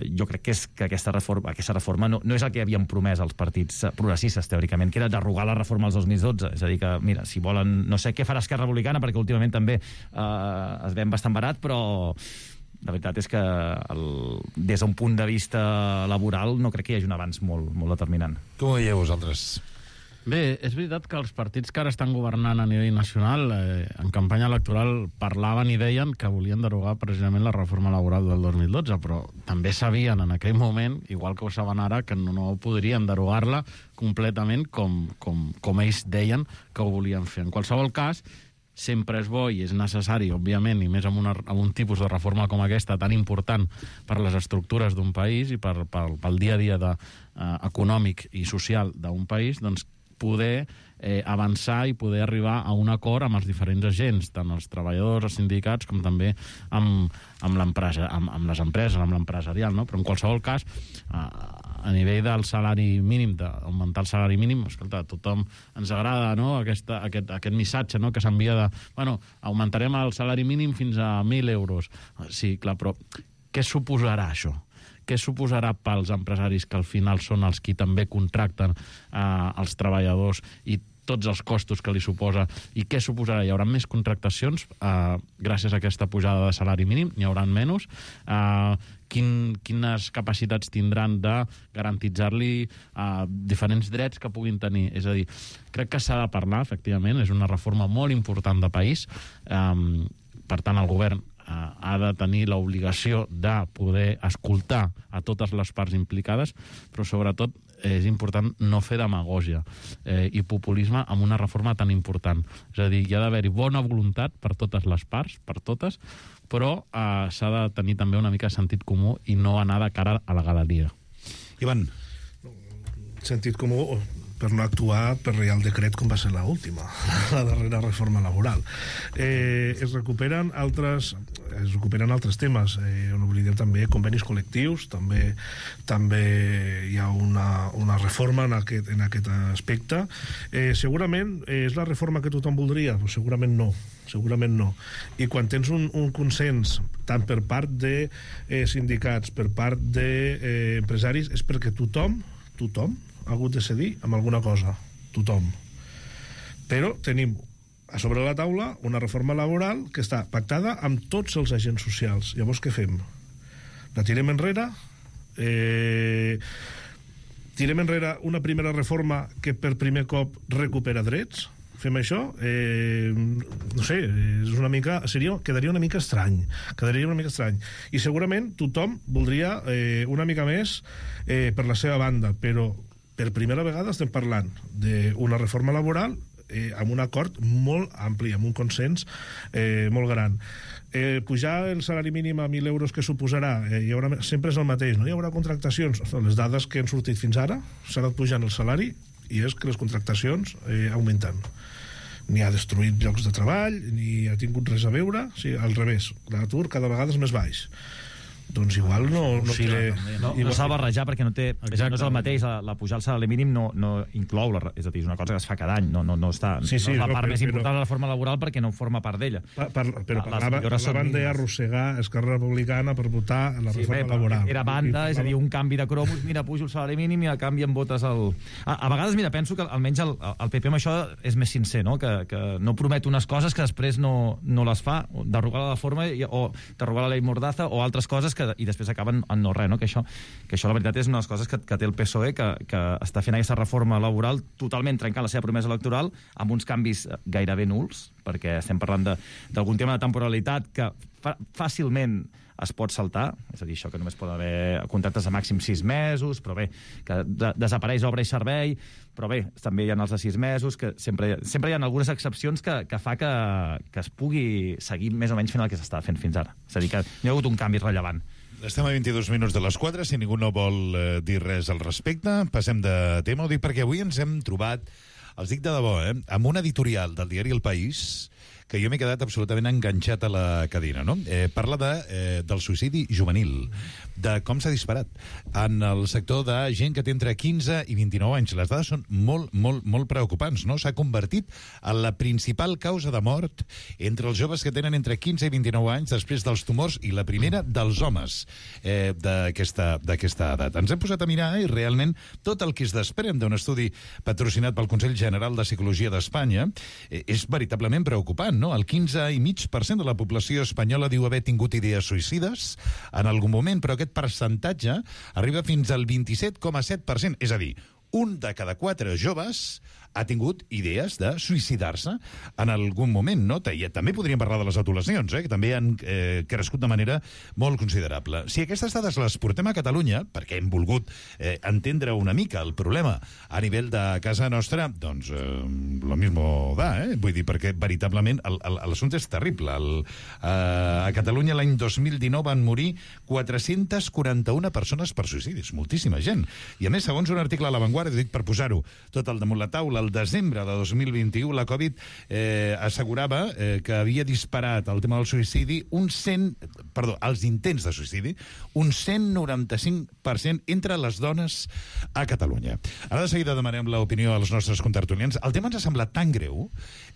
jo crec que aquesta reforma no és el que havien promès els partits progressistes, teòricament, que era derogar la reforma del 2012. És a dir que, mira, si volen... No sé què farà Esquerra Republicana, perquè últimament també es ven bastant barat, però la veritat és que des d'un punt de vista laboral no crec que hi hagi un avanç molt determinant. Com ho veieu vosaltres? Bé, és veritat que els partits que ara estan governant a nivell nacional en campanya electoral parlaven i deien que volien derogar precisament la reforma laboral del 2012, però també sabien en aquell moment, igual que ho saben ara, que no podrien derogar-la completament com ells deien que ho volien fer. En qualsevol cas, sempre és bo i és necessari, òbviament, i més amb un tipus de reforma com aquesta tan important per les estructures d'un país i pel dia a dia econòmic i social d'un país, doncs poder avançar i poder arribar a un acord amb els diferents agents, tant els treballadors, els sindicats, com també amb l'empresa, amb les empreses, amb l'empresarial, no? Però en qualsevol cas, a nivell del salari mínim, d'augmentar el salari mínim, escolta, a tothom ens agrada, no?, aquest missatge, no?, que s'envia de, bueno, augmentarem el salari mínim fins a 1.000 euros. Sí, clar, però què suposarà això? Què suposarà pels empresaris, que al final són els qui també contracten els treballadors, i tots els costos que li suposa, i què suposarà? Hi haurà més contractacions gràcies a aquesta pujada de salari mínim? N'hi haurà menys? Quines capacitats tindran de garantitzar-li diferents drets que puguin tenir? És a dir, crec que s'ha de parlar, efectivament, és una reforma molt important de país, per tant el govern ha de tenir l'obligació de poder escoltar a totes les parts implicades, però sobretot és important no fer demagògia i populisme amb una reforma tan important. És a dir, hi ha d'haver-hi bona voluntat per totes les parts, per totes, però s'ha de tenir també una mica de sentit comú i no anar de cara a la galeria. Ivan. Sentit comú per no actuar per Reial Decret com va ser l'última, la darrera reforma laboral. Es recuperen altres temes, on oblidem també convenis col·lectius, també hi ha una reforma en aquest aspecte. Segurament és la reforma que tothom voldria? Pues segurament no. I quan tens un consens tant per part de sindicats, per part d'empresaris, és perquè tothom ha hagut de cedir amb alguna cosa, tothom. Però tenim a sobre la taula una reforma laboral que està pactada amb tots els agents socials. Llavors què fem? La tirem enrere? Tirem enrere una primera reforma que per primer cop recupera drets? Fem això? No sé, quedaria una mica estrany. I segurament tothom voldria una mica més per la seva banda, però per primera vegada estem parlant d'una reforma laboral amb un acord molt ampli, amb un consens molt gran. Pujar el salari mínim a 1.000 euros, que suposarà? Sempre és el mateix, no hi haurà contractacions. Les dades que han sortit fins ara s'ha anat pujant el salari i és que les contractacions augmenten. Ni ha destruït llocs de treball, ni ha tingut res a veure, al revés, l'atur cada vegada és més baix. Doncs igual no té... No s'ha de barrejar perquè no té... No és el mateix, la pujar al salari mínim no inclou, és a dir, és una cosa que es fa cada any, no és la part més important de la reforma laboral perquè no forma part d'ella. Però parlaven d'arrossegar Esquerra Republicana per votar la reforma laboral. Era banda, és a dir, un canvi de cromos, mira, pujo el salari mínim i a canvi em votes el... A vegades, mira, penso que almenys el PP amb això és més sincer, no? Que no promet unes coses que després no les fa, derogar la forma o derogar la llei Mordaza o altres coses i després acaben en no res, no? Que això la veritat és una de les coses que té el PSOE, que està fent aquesta reforma laboral totalment trencant la seva promesa electoral amb uns canvis gairebé nuls, perquè estem parlant d'algun tema de temporalitat que fàcilment es pot saltar, és a dir, això que només pot haver contractes de màxim 6 mesos, però bé, que desapareix obra i servei, però bé, també hi ha els de 6 mesos, que sempre hi ha algunes excepcions que fa que es pugui seguir més o menys fent el que s'està fent fins ara. És a dir, que no hi ha hagut un canvi rellevant. Estem a 22 minuts de les 4, si ningú no vol dir res al respecte, passem de tema. Ho dic perquè avui ens hem trobat, els dic de debò, amb un editorial del diari El País, que jo m'he quedat absolutament enganxat a la cadira, no? Parla del suïcidi juvenil, de com s'ha disparat en el sector de gent que té entre 15 i 29 anys. Les dades són molt preocupants, no? S'ha convertit en la principal causa de mort entre els joves que tenen entre 15 i 29 anys després dels tumors i la primera dels homes d'aquesta edat. Ens hem posat a mirar i realment tot el que es desprèn d'un estudi patrocinat pel Consell General de Psicologia d'Espanya és veritablement preocupant, no? El 15,5% de la població espanyola diu haver tingut idees suïcides en algun moment, però aquest percentatge arriba fins al 27,7%. És a dir, un de cada 4 joves ha tingut idees de suïcidar-se en algun moment, no? També podríem parlar de les adolescents, que també han crescut de manera molt considerable. Si aquestes dades les portem a Catalunya, perquè hem volgut entendre una mica el problema a nivell de casa nostra, doncs lo mismo da, vull dir, perquè veritablement l'assumpte és terrible. A Catalunya l'any 2019 van morir 441 persones per suïcidis, moltíssima gent. I a més, segons un article a La Vanguardia, dic per posar-ho tot al damunt la taula, al desembre de 2021 la Covid assegurava que havia disparat el tema del suïcidi els intents de suïcidi, un 195% entre les dones a Catalunya. Ara de seguida demanem l'opinió als nostres contertulians. El tema ens ha semblat tan greu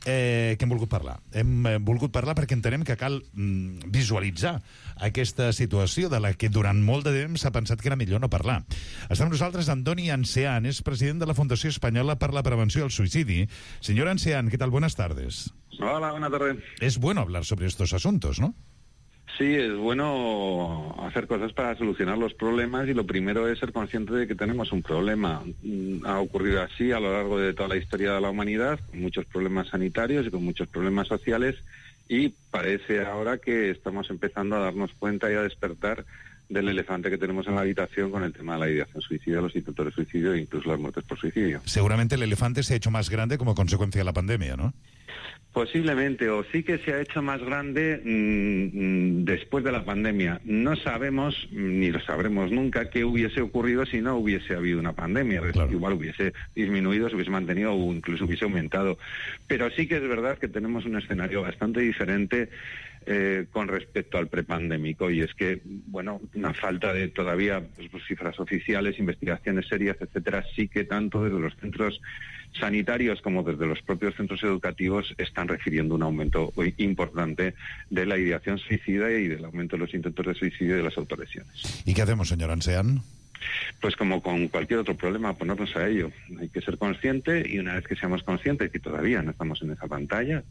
que hem volgut parlar. Hem volgut parlar perquè entenem que cal visualitzar aquesta situació de la que durant molt de temps s'ha pensat que era millor no parlar. Està amb nosaltres Andoni Ancean, es president de la Fundació Espanyola per la Prevenció del Suïcidi. Señor Ancean, ¿qué tal? Buenas tardes. Hola, buenas tardes. Es bueno hablar sobre estos asuntos, ¿no? Sí, es bueno hacer cosas para solucionar los problemas y lo primero es ser consciente de que tenemos un problema. Ha ocurrido así a lo largo de toda la historia de la humanidad, con muchos problemas sanitarios y con muchos problemas sociales, y parece ahora que estamos empezando a darnos cuenta y a despertar del elefante que tenemos en la habitación con el tema de la ideación suicida, los intentos de suicidio e incluso las muertes por suicidio. Seguramente el elefante se ha hecho más grande como consecuencia de la pandemia, ¿no? Posiblemente, o sí que se ha hecho más grande después de la pandemia. No sabemos, ni lo sabremos nunca, qué hubiese ocurrido si no hubiese habido una pandemia. Claro. Igual hubiese disminuido, se hubiese mantenido o incluso hubiese aumentado. Pero sí que es verdad que tenemos un escenario bastante diferente con respecto al prepandémico, y es que, bueno, una falta de todavía cifras oficiales, investigaciones serias, etcétera, sí que tanto desde los centros sanitarios como desde los propios centros educativos están refiriendo un aumento importante de la ideación suicida y del aumento de los intentos de suicidio y de las autolesiones. ¿Y qué hacemos, señor Ancean? Pues como con cualquier otro problema, ponernos a ello. Hay que ser consciente, y una vez que seamos conscientes que todavía no estamos en esa pantalla,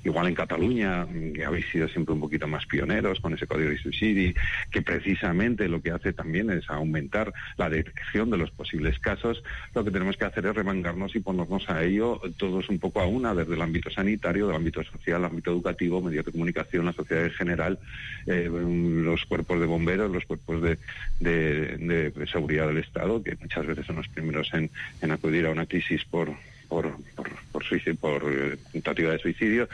igual en Cataluña, que habéis sido siempre un poquito más pioneros con ese código de suicidio, que precisamente lo que hace también es aumentar la detección de los posibles casos. Lo que tenemos que hacer es remangarnos y ponernos a ello todos un poco a una, desde el ámbito sanitario, del ámbito social, el ámbito educativo, medios de comunicación, la sociedad en general, los cuerpos de bomberos, los cuerpos de seguridad del Estado, que muchas veces son los primeros en acudir a una crisis por tentativa de suicidio.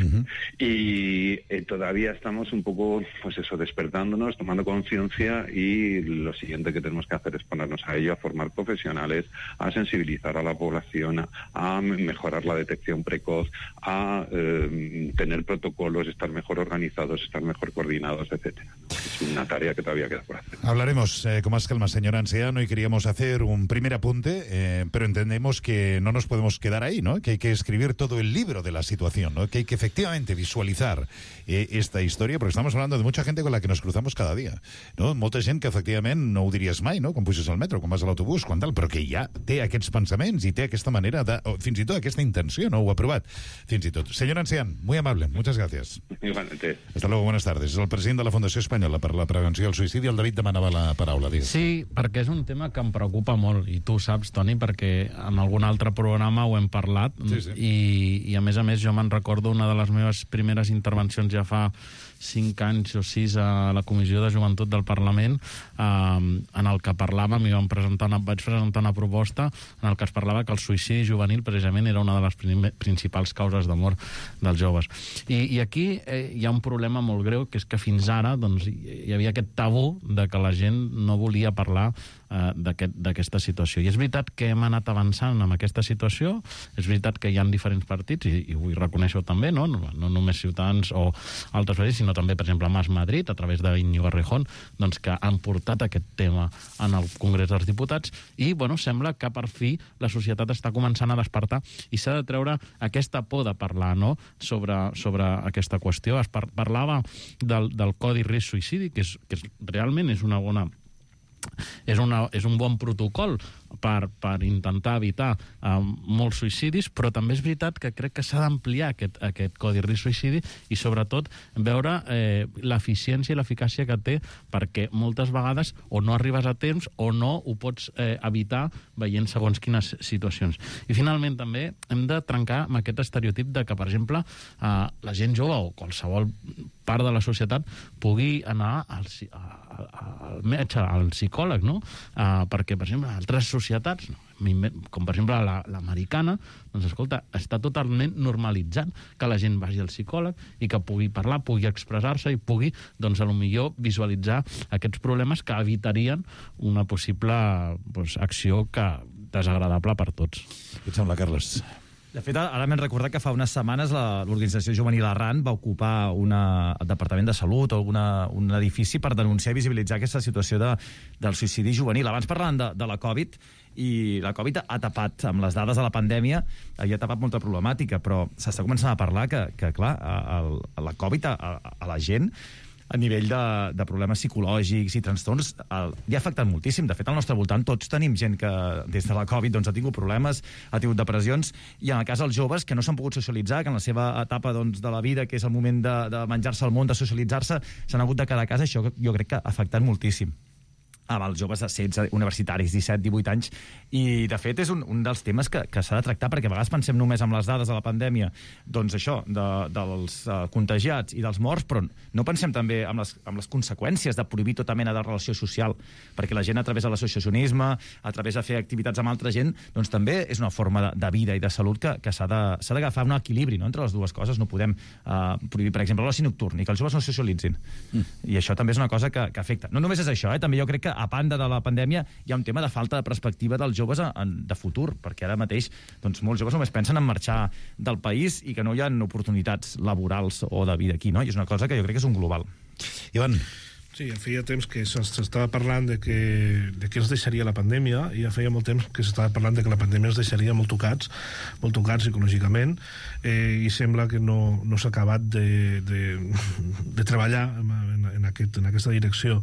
Y todavía estamos un poco, pues eso, despertándonos, tomando conciencia, y lo siguiente que tenemos que hacer es ponernos a ello, a formar profesionales, a sensibilizar a la población, a mejorar la detección precoz, a tener protocolos, estar mejor organizados, estar mejor coordinados, etcétera. Es una tarea que todavía queda por hacer. Hablaremos con más calma, señor Ancean, y queríamos hacer un primer apunte, pero entendemos que no nos podemos quedar ahí, ¿no? Que hay que escribir todo el libro de la situación, ¿no? Que hay que efectivamente visualizar esta història, perquè estamos hablando de mucha gente con la que nos cruzamos cada dia, no? Molta gent que efectivament no ho diries mai, no? Quan puges al metro, quan vas a l'autobús, quan tal, però que ja té aquests pensaments i té aquesta manera de, o fins i tot aquesta intenció, no? Ho ha provat, fins i tot. Señor Ancean, muy amable, muchas gracias. Igualmente. Hasta luego, buenas tardes. És el president de la Fundació Espanyola per la Prevenció del Suïcidi. El David demanava la paraula. Digues. Sí, perquè és un tema que em preocupa molt, i tu ho saps, Toni, perquè en algun altre programa ho hem parlat, sí. I a més, jo me'n recordo una de les meves primeres intervencions ja fa 5 anys o 6 a la Comissió de Joventut del Parlament, en el que parlàvem, i vaig presentar una proposta en el que es parlava que el suïcidi juvenil precisament era una de les principals causes de mort dels joves. I aquí hi ha un problema molt greu, que és que fins ara doncs, hi havia aquest tabú de que la gent no volia parlar d'aquesta situació. I és veritat que hem anat avançant en aquesta situació, és veritat que hi ha diferents partits, i vull reconèixer-ho també, no només Ciutadans o altres partits, sinó també, per exemple, Mas Madrid, a través d'Iñigo Errejón, doncs, que han portat aquest tema en el Congrés dels Diputats, i sembla que per fi la societat està començant a despertar i s'ha de treure aquesta por de parlar, no?, sobre aquesta qüestió. Es parlava del Codi Risc Suïcidi, que realment és una bona... És un bon protocol per intentar evitar molts suïcidis, però també és veritat que crec que s'ha d'ampliar aquest codi risc suïcidi i, sobretot, veure l'eficiència i l'eficàcia que té, perquè moltes vegades o no arribes a temps o no ho pots evitar veient segons quines situacions. I, finalment, també hem de trencar amb aquest estereotip de que, per exemple, la gent jove o qualsevol part de la societat pugui anar al metge, al psicòleg, no? Perquè, per exemple, altres societats, com per exemple l'americana, doncs, escolta, està totalment normalitzat que la gent vagi al psicòleg i que pugui parlar, pugui expressar-se i pugui, doncs, a lo millor visualitzar aquests problemes que evitarien una possible acció desagradable per tots. Què et sembla, Carles? De fet, ara m'hem recordat que fa unes setmanes l'organització juvenil Arran va ocupar el Departament de Salut o un edifici per denunciar i visibilitzar aquesta situació del suïcidi juvenil. Abans parlàvem de la Covid, i la Covid ha tapat, amb les dades de la pandèmia, ha tapat molta problemàtica, però s'està començant a parlar que clar, la Covid a la gent, a nivell de problemes psicològics i trastorns, li ha afectat moltíssim. De fet, al nostre voltant tots tenim gent que des de la Covid ha tingut problemes, ha tingut depressions, i en el cas dels joves que no s'han pogut socialitzar, que en la seva etapa de la vida, que és el moment de menjar-se el món, de socialitzar-se, s'han hagut de quedar a casa. Això jo crec que ha afectat moltíssim amb els joves de 16, universitaris, 17, 18 anys, i de fet és un dels temes que s'ha de tractar, perquè a vegades pensem només en les dades de la pandèmia, doncs això, dels contagiats i dels morts, però no pensem també en les conseqüències de prohibir tota mena de relació social, perquè la gent, a través de l'associacionisme, a través de fer activitats amb altra gent, doncs també és una forma de vida i de salut que s'ha d'agafar un equilibri, no?, entre les dues coses. No podem prohibir, per exemple, l'oci nocturn i que els joves no socialitzin. I això també és una cosa que afecta. No només és això, també jo crec que a banda de la pandèmia hi ha un tema de falta de perspectiva dels joves de futur, perquè ara mateix doncs, molts joves només pensen en marxar del país i que no hi ha oportunitats laborals o de vida aquí, no? I és una cosa que jo crec que és un global. Ivan. Sí, ja feia temps que s'estava parlant de què ens deixaria la pandèmia, i ja feia molt temps que s'estava parlant de que la pandèmia ens deixaria molt tocats psicològicament, i sembla que no s'ha acabat de treballar en aquesta direcció.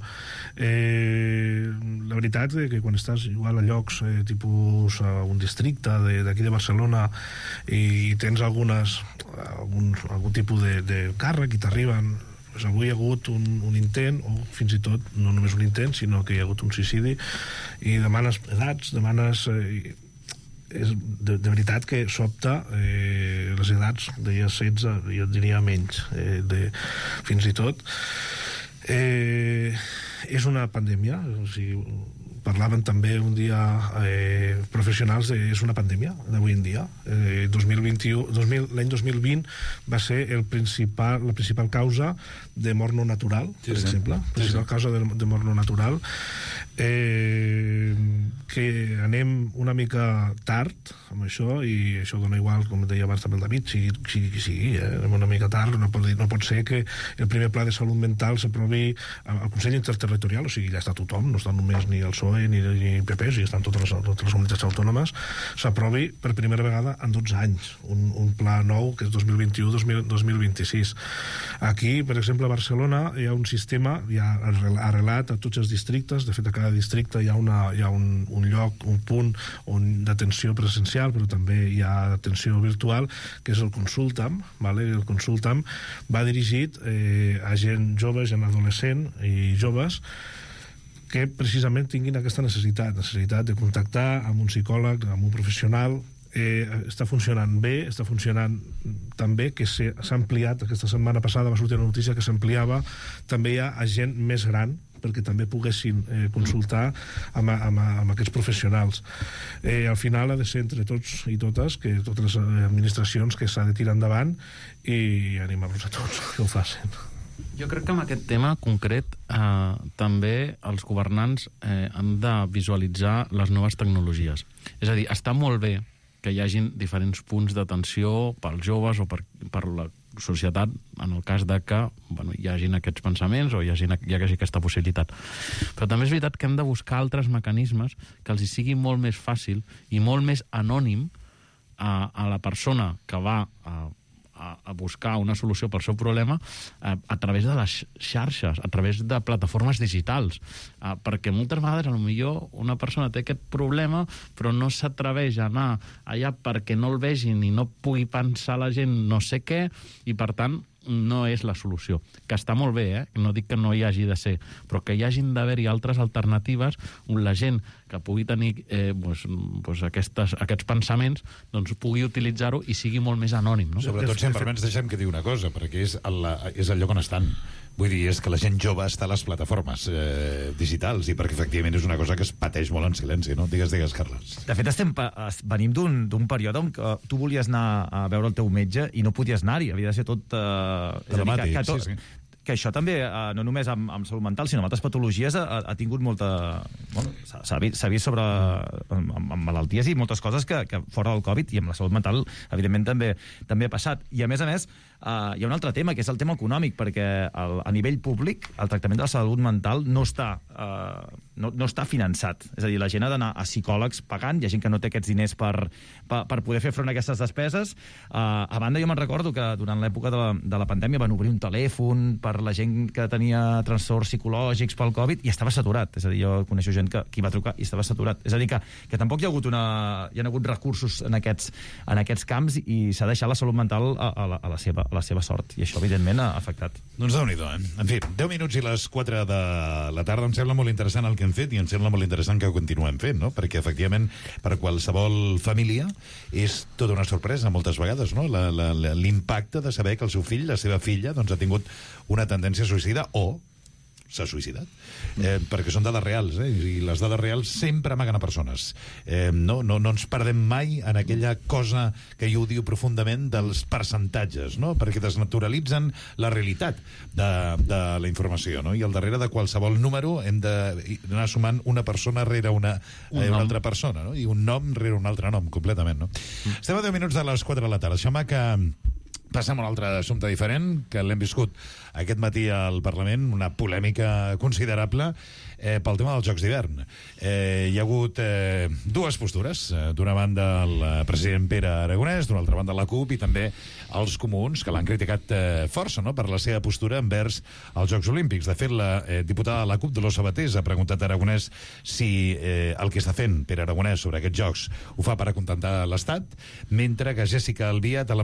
La veritat és que quan estàs igual a llocs tipus a un districte d'aquí de Barcelona i tens algun tipus de càrrec i t'arriben, avui hi ha hagut un intent, o fins i tot no només un intent, sinó que hi ha hagut un suïcidi, i demanes edats, és de veritat que sobta les edats, deia 16, jo diria menys, fins i tot. És una pandèmia, o sigui, parlaven també un dia professionals és una pandèmia d'avui en dia. L'any 2020 va ser la principal causa de mort no natural, per exemple. La principal causa de mort no natural. Que anem una mica tard amb això, i això dona igual, com deia abans també el David, sigui, anem una mica tard. No pot ser que el primer pla de salut mental s'aprovi al Consell Interterritorial, o sigui, ja està tothom, no està només ni el PSOE ni PP, i estan totes les comunitats autònomes, s'aprovi per primera vegada en 12 anys un pla nou, que és 2021-2026. Aquí, per exemple, a Barcelona hi ha un sistema ja arrelat a tots els districtes. De fet, a cada districte hi ha un lloc, un punt d'atenció presencial, però també hi ha atenció virtual, que és el Consultam. El Consultam va dirigit a gent jove, gent adolescent i joves, que precisament tinguin aquesta necessitat de contactar amb un psicòleg, amb un professional. Està funcionant bé, està funcionant tan bé que s'ha ampliat. Aquesta setmana passada va sortir una notícia que s'ampliava també ja a gent més gran, perquè també poguessin consultar amb aquests professionals. Al final ha de ser entre tots i totes, que totes les administracions, que s'ha de tirar endavant, i animar-los a tots que ho facin. Jo crec que amb aquest tema concret també els governants han de visualitzar les noves tecnologies. És a dir, està molt bé que hi hagin diferents punts d'atenció pels joves o per la societat, en el cas de que hi hagin aquests pensaments o hi hagi aquesta possibilitat. Però també és veritat que hem de buscar altres mecanismes que els hi sigui molt més fàcil i molt més anònim a la persona que va a a buscar una solució pel seu problema a través de les xarxes, a través de plataformes digitals, perquè moltes vegades potser una persona té aquest problema però no s'atreveix a anar allà perquè no el vegin i no pugui pensar la gent no sé què, i per tant no és la solució. Que està molt bé, no dic que no hi hagi de ser, però que hi hagin d'haver-hi altres alternatives on la gent que pugui tenir aquests pensaments pugui utilitzar-ho i sigui molt més anònim. No? Sobretot, si em permets, deixem que digui una cosa, perquè és el lloc on estan. Vull dir, és que la gent jove està a les plataformes digitals, i perquè efectivament és una cosa que es pateix molt en silenci, no? Digues, Carles. De fet, venim d'un període on tu volies anar a veure el teu metge i no podies anar-hi, havia de ser tot... dramàtic, sí. Que això també, no només amb salut mental, sinó amb altres patologies, ha tingut molta... Bueno, s'ha vist sobre... amb malalties i moltes coses que fora del Covid, i amb la salut mental, evidentment, també ha passat. I, a més, hi ha un altre tema, que és el tema econòmic, perquè a nivell públic el tractament de la salut mental no està finançat. És a dir, la gent ha d'anar a psicòlegs pagant, hi ha gent que no té aquests diners per poder fer front a aquestes despeses. A banda, jo me'n recordo que durant l'època de la pandèmia van obrir un telèfon per la gent que tenia trastorns psicològics pel Covid i estava saturat. És a dir, jo coneixo gent que hi va trucar i estava saturat. És a dir, que tampoc hi ha hagut recursos en aquests camps, i s'ha deixat la salut mental a la seva sort. I això, evidentment, ha afectat. Doncs Déu-n'hi-do, En fi, 10 minuts i les 4 de la tarda. Em sembla molt interessant el que hem fet, i em sembla molt interessant que ho continuem fent, no? Perquè, efectivament, per qualsevol família és tota una sorpresa moltes vegades, no? L'impacte de saber que el seu fill, la seva filla, ha tingut una tendència a suïcida o s'ha suïcidat. Perquè són dades reals, i les dades reals sempre amaguen a persones. No ens perdem mai en aquella cosa que jo diu profundament dels percentatges, no? Perquè desnaturalitzen la realitat de la informació, no? I al darrere de qualsevol número hem d'anar sumant una persona rere una altra persona, no? I un nom rere un altre nom, completament, no? Estem a 10 minuts de les 4 de la tarda. Això que passem a un altre assumpte diferent, que l'hem viscut aquest matí al Parlament, una polèmica considerable pel tema dels Jocs d'hivern. Hi ha hagut dues postures. D'una banda, el president Pere Aragonès, d'una altra banda, la CUP, i també els comuns, que l'han criticat força, no?, per la seva postura envers els Jocs Olímpics. De fet, la diputada de la CUP, Dolors Sabatés, ha preguntat a Aragonès si el que està fent Pere Aragonès sobre aquests Jocs ho fa per acontentar l'Estat, mentre que Jéssica Albiach ha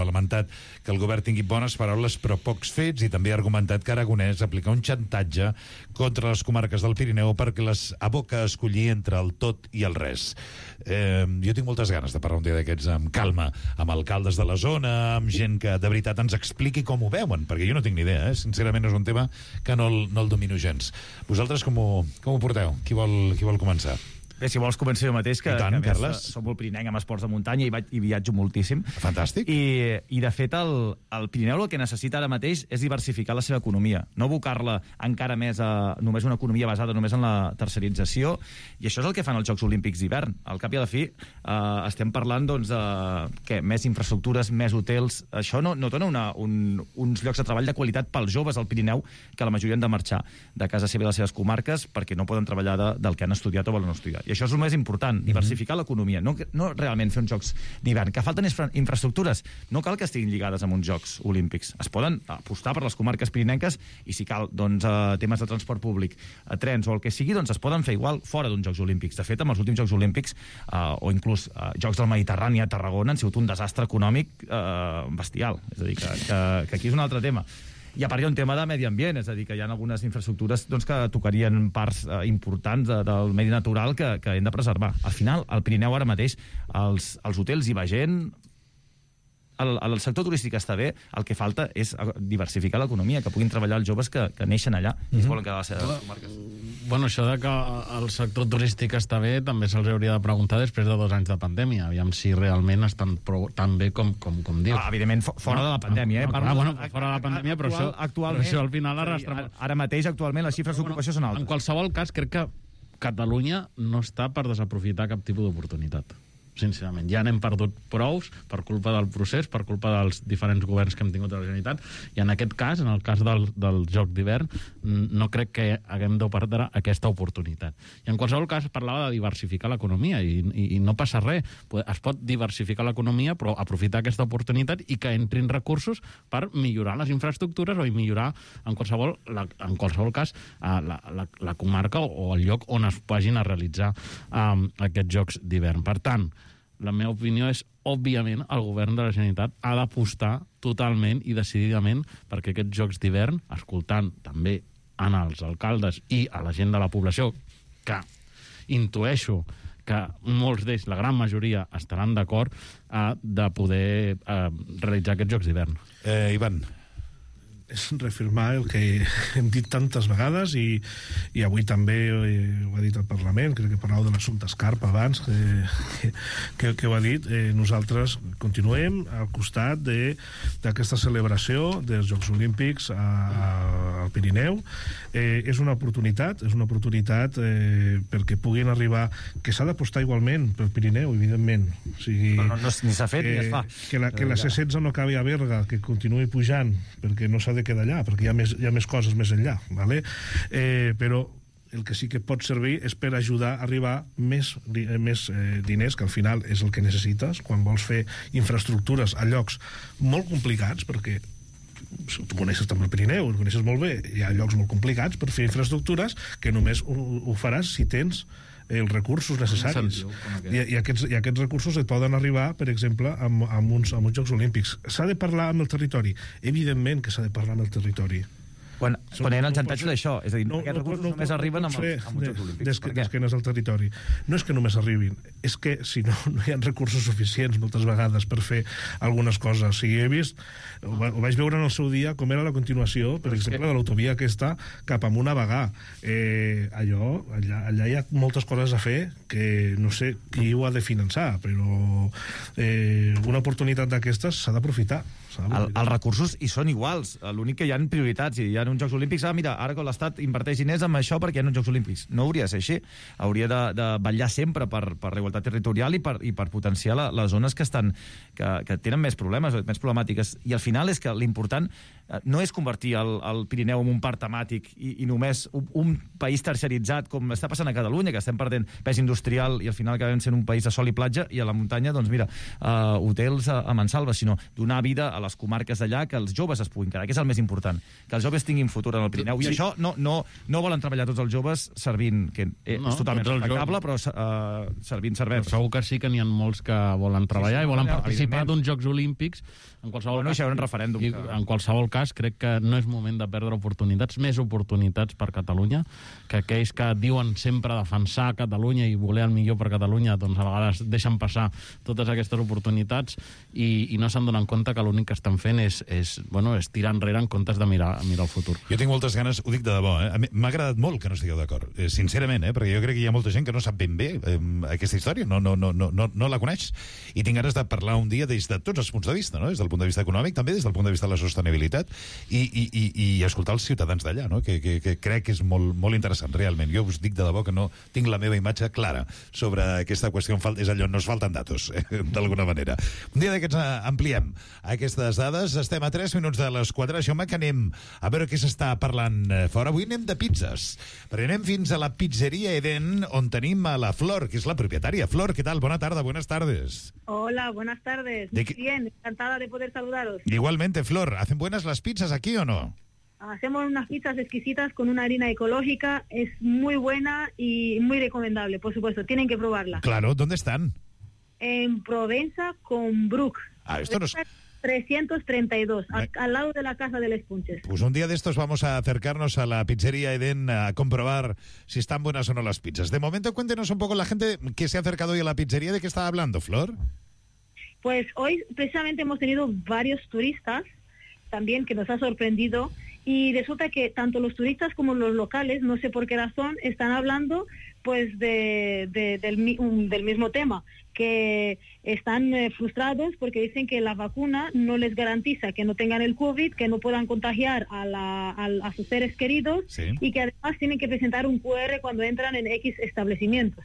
lamentat que el govern tingui bones paraules però pocs fets, i també ha argumentat que Aragonès aplica un xantatge contra les comarques del Pirineu perquè les aboca a escollir entre el tot i el res. Jo tinc moltes ganes de parlar un dia d'aquests amb calma, amb alcaldes de la zona, amb gent que de veritat ens expliqui com ho veuen, perquè jo no tinc ni idea, sincerament és un tema que no el domino gens. Vosaltres com ho porteu? Qui vol començar? Bé, si vols començar jo mateix, que tant, a més som molt pirinenc amb esports de muntanya i viatjo moltíssim. Fantàstic. I de fet, el Pirineu el que necessita ara mateix és diversificar la seva economia, no abocar-la encara més a només una economia basada només en la tercerització, i això és el que fan els Jocs Olímpics d'hivern. Al cap i a la fi estem parlant de més infraestructures, més hotels. Això no dona uns llocs de treball de qualitat pels joves al Pirineu, que la majoria han de marxar de casa seva i les seves comarques perquè no poden treballar del que han estudiat o volen estudiar. I això és el més important, diversificar l'economia, no realment fer uns Jocs d'hivern. Que falten infraestructures, no cal que estiguin lligades amb uns Jocs Olímpics. Es poden apostar per les comarques pirinenques, i si cal, temes de transport públic, trens o el que sigui, es poden fer igual fora d'uns Jocs Olímpics. De fet, amb els últims Jocs Olímpics, o inclús Jocs del Mediterrani a Tarragona, han sigut un desastre econòmic bestial. És a dir, que aquí és un altre tema. I a part hi ha un tema de medi ambient, és a dir, que hi ha algunes infraestructures que tocarien parts importants del medi natural que hem de preservar. Al final, al Pirineu ara mateix, als hotels hi va gent, el sector turístic està bé, el que falta és diversificar l'economia, que puguin treballar els joves que neixen allà i es volen quedar a les seves comarques. Bueno, això de que el sector turístic està bé també se'ls hauria de preguntar després de 2 anys de pandèmia, aviam si realment estan tan bé com dius. Evidentment, fora de la pandèmia. Fora de la pandèmia, però això al final arrastra... Ara mateix, actualment, les xifres d'ocupació són altes. En qualsevol cas, crec que Catalunya no està per desaprofitar cap tipus d'oportunitat. sincerament. Ja n'hem perdut prous per culpa del procés, per culpa dels diferents governs que hem tingut a la Generalitat, i en aquest cas, en el cas del Joc d'hivern, no crec que haguem de perdre aquesta oportunitat. I en qualsevol cas parlava de diversificar l'economia, i no passa res. Es pot diversificar l'economia, però aprofitar aquesta oportunitat i que entrin recursos per millorar les infraestructures o millorar, en qualsevol cas, la comarca o el lloc on es vagin a realitzar aquests Jocs d'hivern. Per tant, la meva opinió és, òbviament, el govern de la Generalitat ha d'apostar totalment i decididament perquè aquests Jocs d'hivern, escoltant també als alcaldes i a la gent de la població, que intueixo que molts d'ells, la gran majoria, estaran d'acord de poder realitzar aquests Jocs d'hivern. Ivan. És reafirmar el que hem dit tantes vegades i avui també ho ha dit el Parlament, crec que parlàveu de l'assumpte Escarpa abans que ho ha dit. Nosaltres continuem al costat d'aquesta celebració dels Jocs Olímpics al Pirineu. És una oportunitat perquè puguin arribar, que s'ha d'apostar igualment pel Pirineu, evidentment. O sigui, ni s'ha fet ni es fa. Que la C16 no acabi a Berga, que continuï pujant, perquè no s'ha de quedar allà, perquè hi ha més coses més enllà, ¿vale? Però el que sí que pot servir és per ajudar a arribar més diners, que al final és el que necessites quan vols fer infraestructures a llocs molt complicats, perquè tu coneixes també el Pirineu, ho coneixes molt bé, hi ha llocs molt complicats per fer infraestructures que només ho faràs si tens els recursos necessaris. I aquests recursos et poden arribar, per exemple, amb uns Jocs Olímpics. S'ha de parlar amb el territori. Evidentment que s'ha de parlar amb el territori. Quan hi ha el xantatge d'això, és a dir, aquests recursos només arriben amb els Jocs Olímpics. D'esquenes al territori. No és que només arribin, és que si no hi ha recursos suficients moltes vegades per fer algunes coses. O sigui, he vist, ho vaig veure en el seu dia, com era la continuació, per exemple, de l'autovia aquesta cap amunt a Bagà. Allà hi ha moltes coses a fer que no sé qui ho ha de finançar, però una oportunitat d'aquestes s'ha d'aprofitar. Els recursos hi són iguals, l'únic que hi ha prioritats, i hi ha uns Jocs Olímpics, mira, ara que l'Estat inverteix diners amb això perquè hi ha uns Jocs Olímpics. No hauria de ser així, hauria de vetllar sempre per la igualtat territorial i per potenciar les zones que tenen més problemes, més problemàtiques, i al final és que l'important no és convertir el Pirineu en un parc temàtic i només un país terciaritzat, com està passant a Catalunya, que estem perdent pes industrial i al final acabem sent un país de sol i platja, i a la muntanya, doncs mira, hotels a mansalva, sinó donar vida a les comarques d'allà, que els joves es puguin quedar, que és el més important, que els joves tinguin futur en el Pirineu, i això no volen treballar tots els joves servint, que és totalment respectable, però servint cervesa. Segur que sí que n'hi ha molts que volen treballar i volen participar d'uns Jocs Olímpics. En qualsevol cas, crec que no és moment de perdre oportunitats, més oportunitats per Catalunya, que aquells que diuen sempre defensar Catalunya i voler el millor per Catalunya, doncs a vegades deixen passar totes aquestes oportunitats i no se'n donen compte que l'únic que estan fent és tirar enrere en comptes de mirar el futur. Jo tinc moltes ganes, ho dic de debò, m'ha agradat molt que no estigueu d'acord, sincerament, perquè jo crec que hi ha molta gent que no sap ben bé aquesta història, no la coneix, i tinc ganes de parlar un dia des de tots els punts de vista, no? Des del punt de vista econòmic, també des del punt de vista de la sostenibilitat, i escoltar els ciutadans d'allà, no? que crec que és molt interessant, realment. Jo us dic de debò que no tinc la meva imatge clara sobre aquesta qüestió, és allò, nos falten datos, d'alguna manera. Un dia d'aquests ampliem aquestes dades, estem a 3 minuts de les 4, això que anem a veure què s'està parlant fora. Avui anem de pizzas, perquè anem fins a la pizzeria Eden, on tenim a la Flor, que és la propietària. Flor, ¿qué tal? Bona tarda, buenas tardes. Hola, buenas tardes. Muy bien, encantada de poder saludaros. Igualmente, Flor, ¿hacen buenas las pizzas aquí o no? Hacemos unas pizzas exquisitas con una harina ecológica, es muy buena y muy recomendable, por supuesto, tienen que probarla. Claro, ¿dónde están? En Provenza con Bruc. Esto nos... 332, al lado de la Casa de los Punches. Pues un día de estos vamos a acercarnos a la pizzería Eden a comprobar si están buenas o no las pizzas. De momento, cuéntenos un poco la gente que se ha acercado hoy a la pizzería, ¿de qué estaba hablando, Flor? Pues hoy precisamente hemos tenido varios turistas también que nos ha sorprendido, y resulta que tanto los turistas como los locales, no sé por qué razón, están hablando pues del mismo tema, que están frustrados porque dicen que la vacuna no les garantiza que no tengan el COVID, que no puedan contagiar a sus seres queridos, y que además tienen que presentar un QR cuando entran en X establecimientos.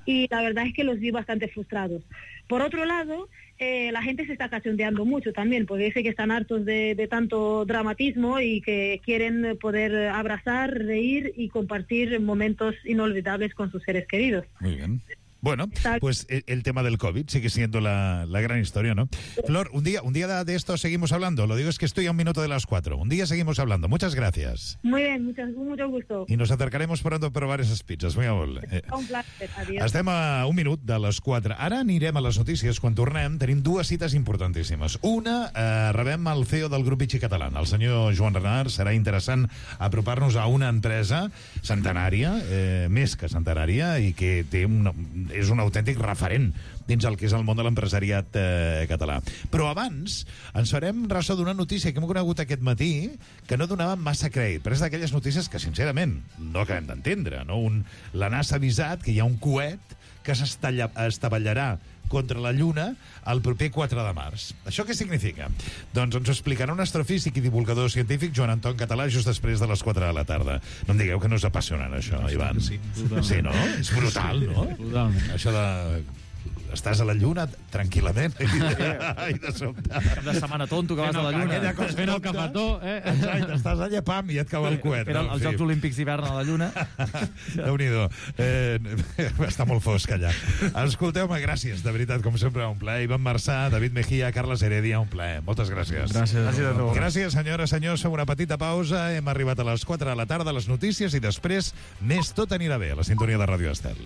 Y la verdad es que los vi bastante frustrados. Por otro lado, la gente se está cachondeando mucho también, porque dice que están hartos de tanto dramatismo y que quieren poder abrazar, reír y compartir momentos inolvidables con sus seres queridos. Muy bien. Bueno, pues el tema del COVID sigue siendo la gran historia, ¿no? Flor, un día de esto seguimos hablando. Lo digo, es que estoy a 1 minuto de las 4. Un día seguimos hablando. Muchas gracias. Muy bien, mucho gusto. I nos acercaremos pronto a provar esas pizzas. Muy amable. Un placer, adiós. Estem a 1 minut de les 4. Ara anirem a les notícies. Quan tornem tenim 2 cites importantíssimes. Una, rebem el CEO del grup Vichy Català, el senyor Joan Renart. Serà interessant apropar-nos a una empresa centenària, més que centenària, i que té és un autèntic referent dins el que és el món de l'empresariat català. Però abans ens farem ressò d'una notícia que hem conegut aquest matí que no donava massa crèdit, però és d'aquelles notícies que, sincerament, no acabem d'entendre, no? La NASA ha avisat que hi ha un coet que s'estavellarà contra la Lluna el proper 4 de març. Això què significa? Doncs ens ho explicarà un astrofísic i divulgador científic, Joan Anton Català, just després de les 4 de la tarda. No em digueu que no és apassionant, això, Ivan. Sí, no? És brutal, no? Totalment. Això de... Estàs a la Lluna tranquil·lament i de sobte... Cap de setmana tonto que vas a la Lluna. Fent el cafetó, Exacte, estàs allà, pam, i et cau el coet. Fent els Jocs Olímpics d'hivern a la Lluna. Déu-n'hi-do. Està molt fosc allà. Escolteu-me, gràcies, de veritat, com sempre, un plaer. Ivan Marçà, David Mejía, Carles Heredia, un plaer. Moltes gràcies. Gràcies, senyores, senyors. Fem una petita pausa. Hem arribat a les 4 de la tarda, les notícies, i després més Tot anirà bé, a la sintonia de Ràdio Estel.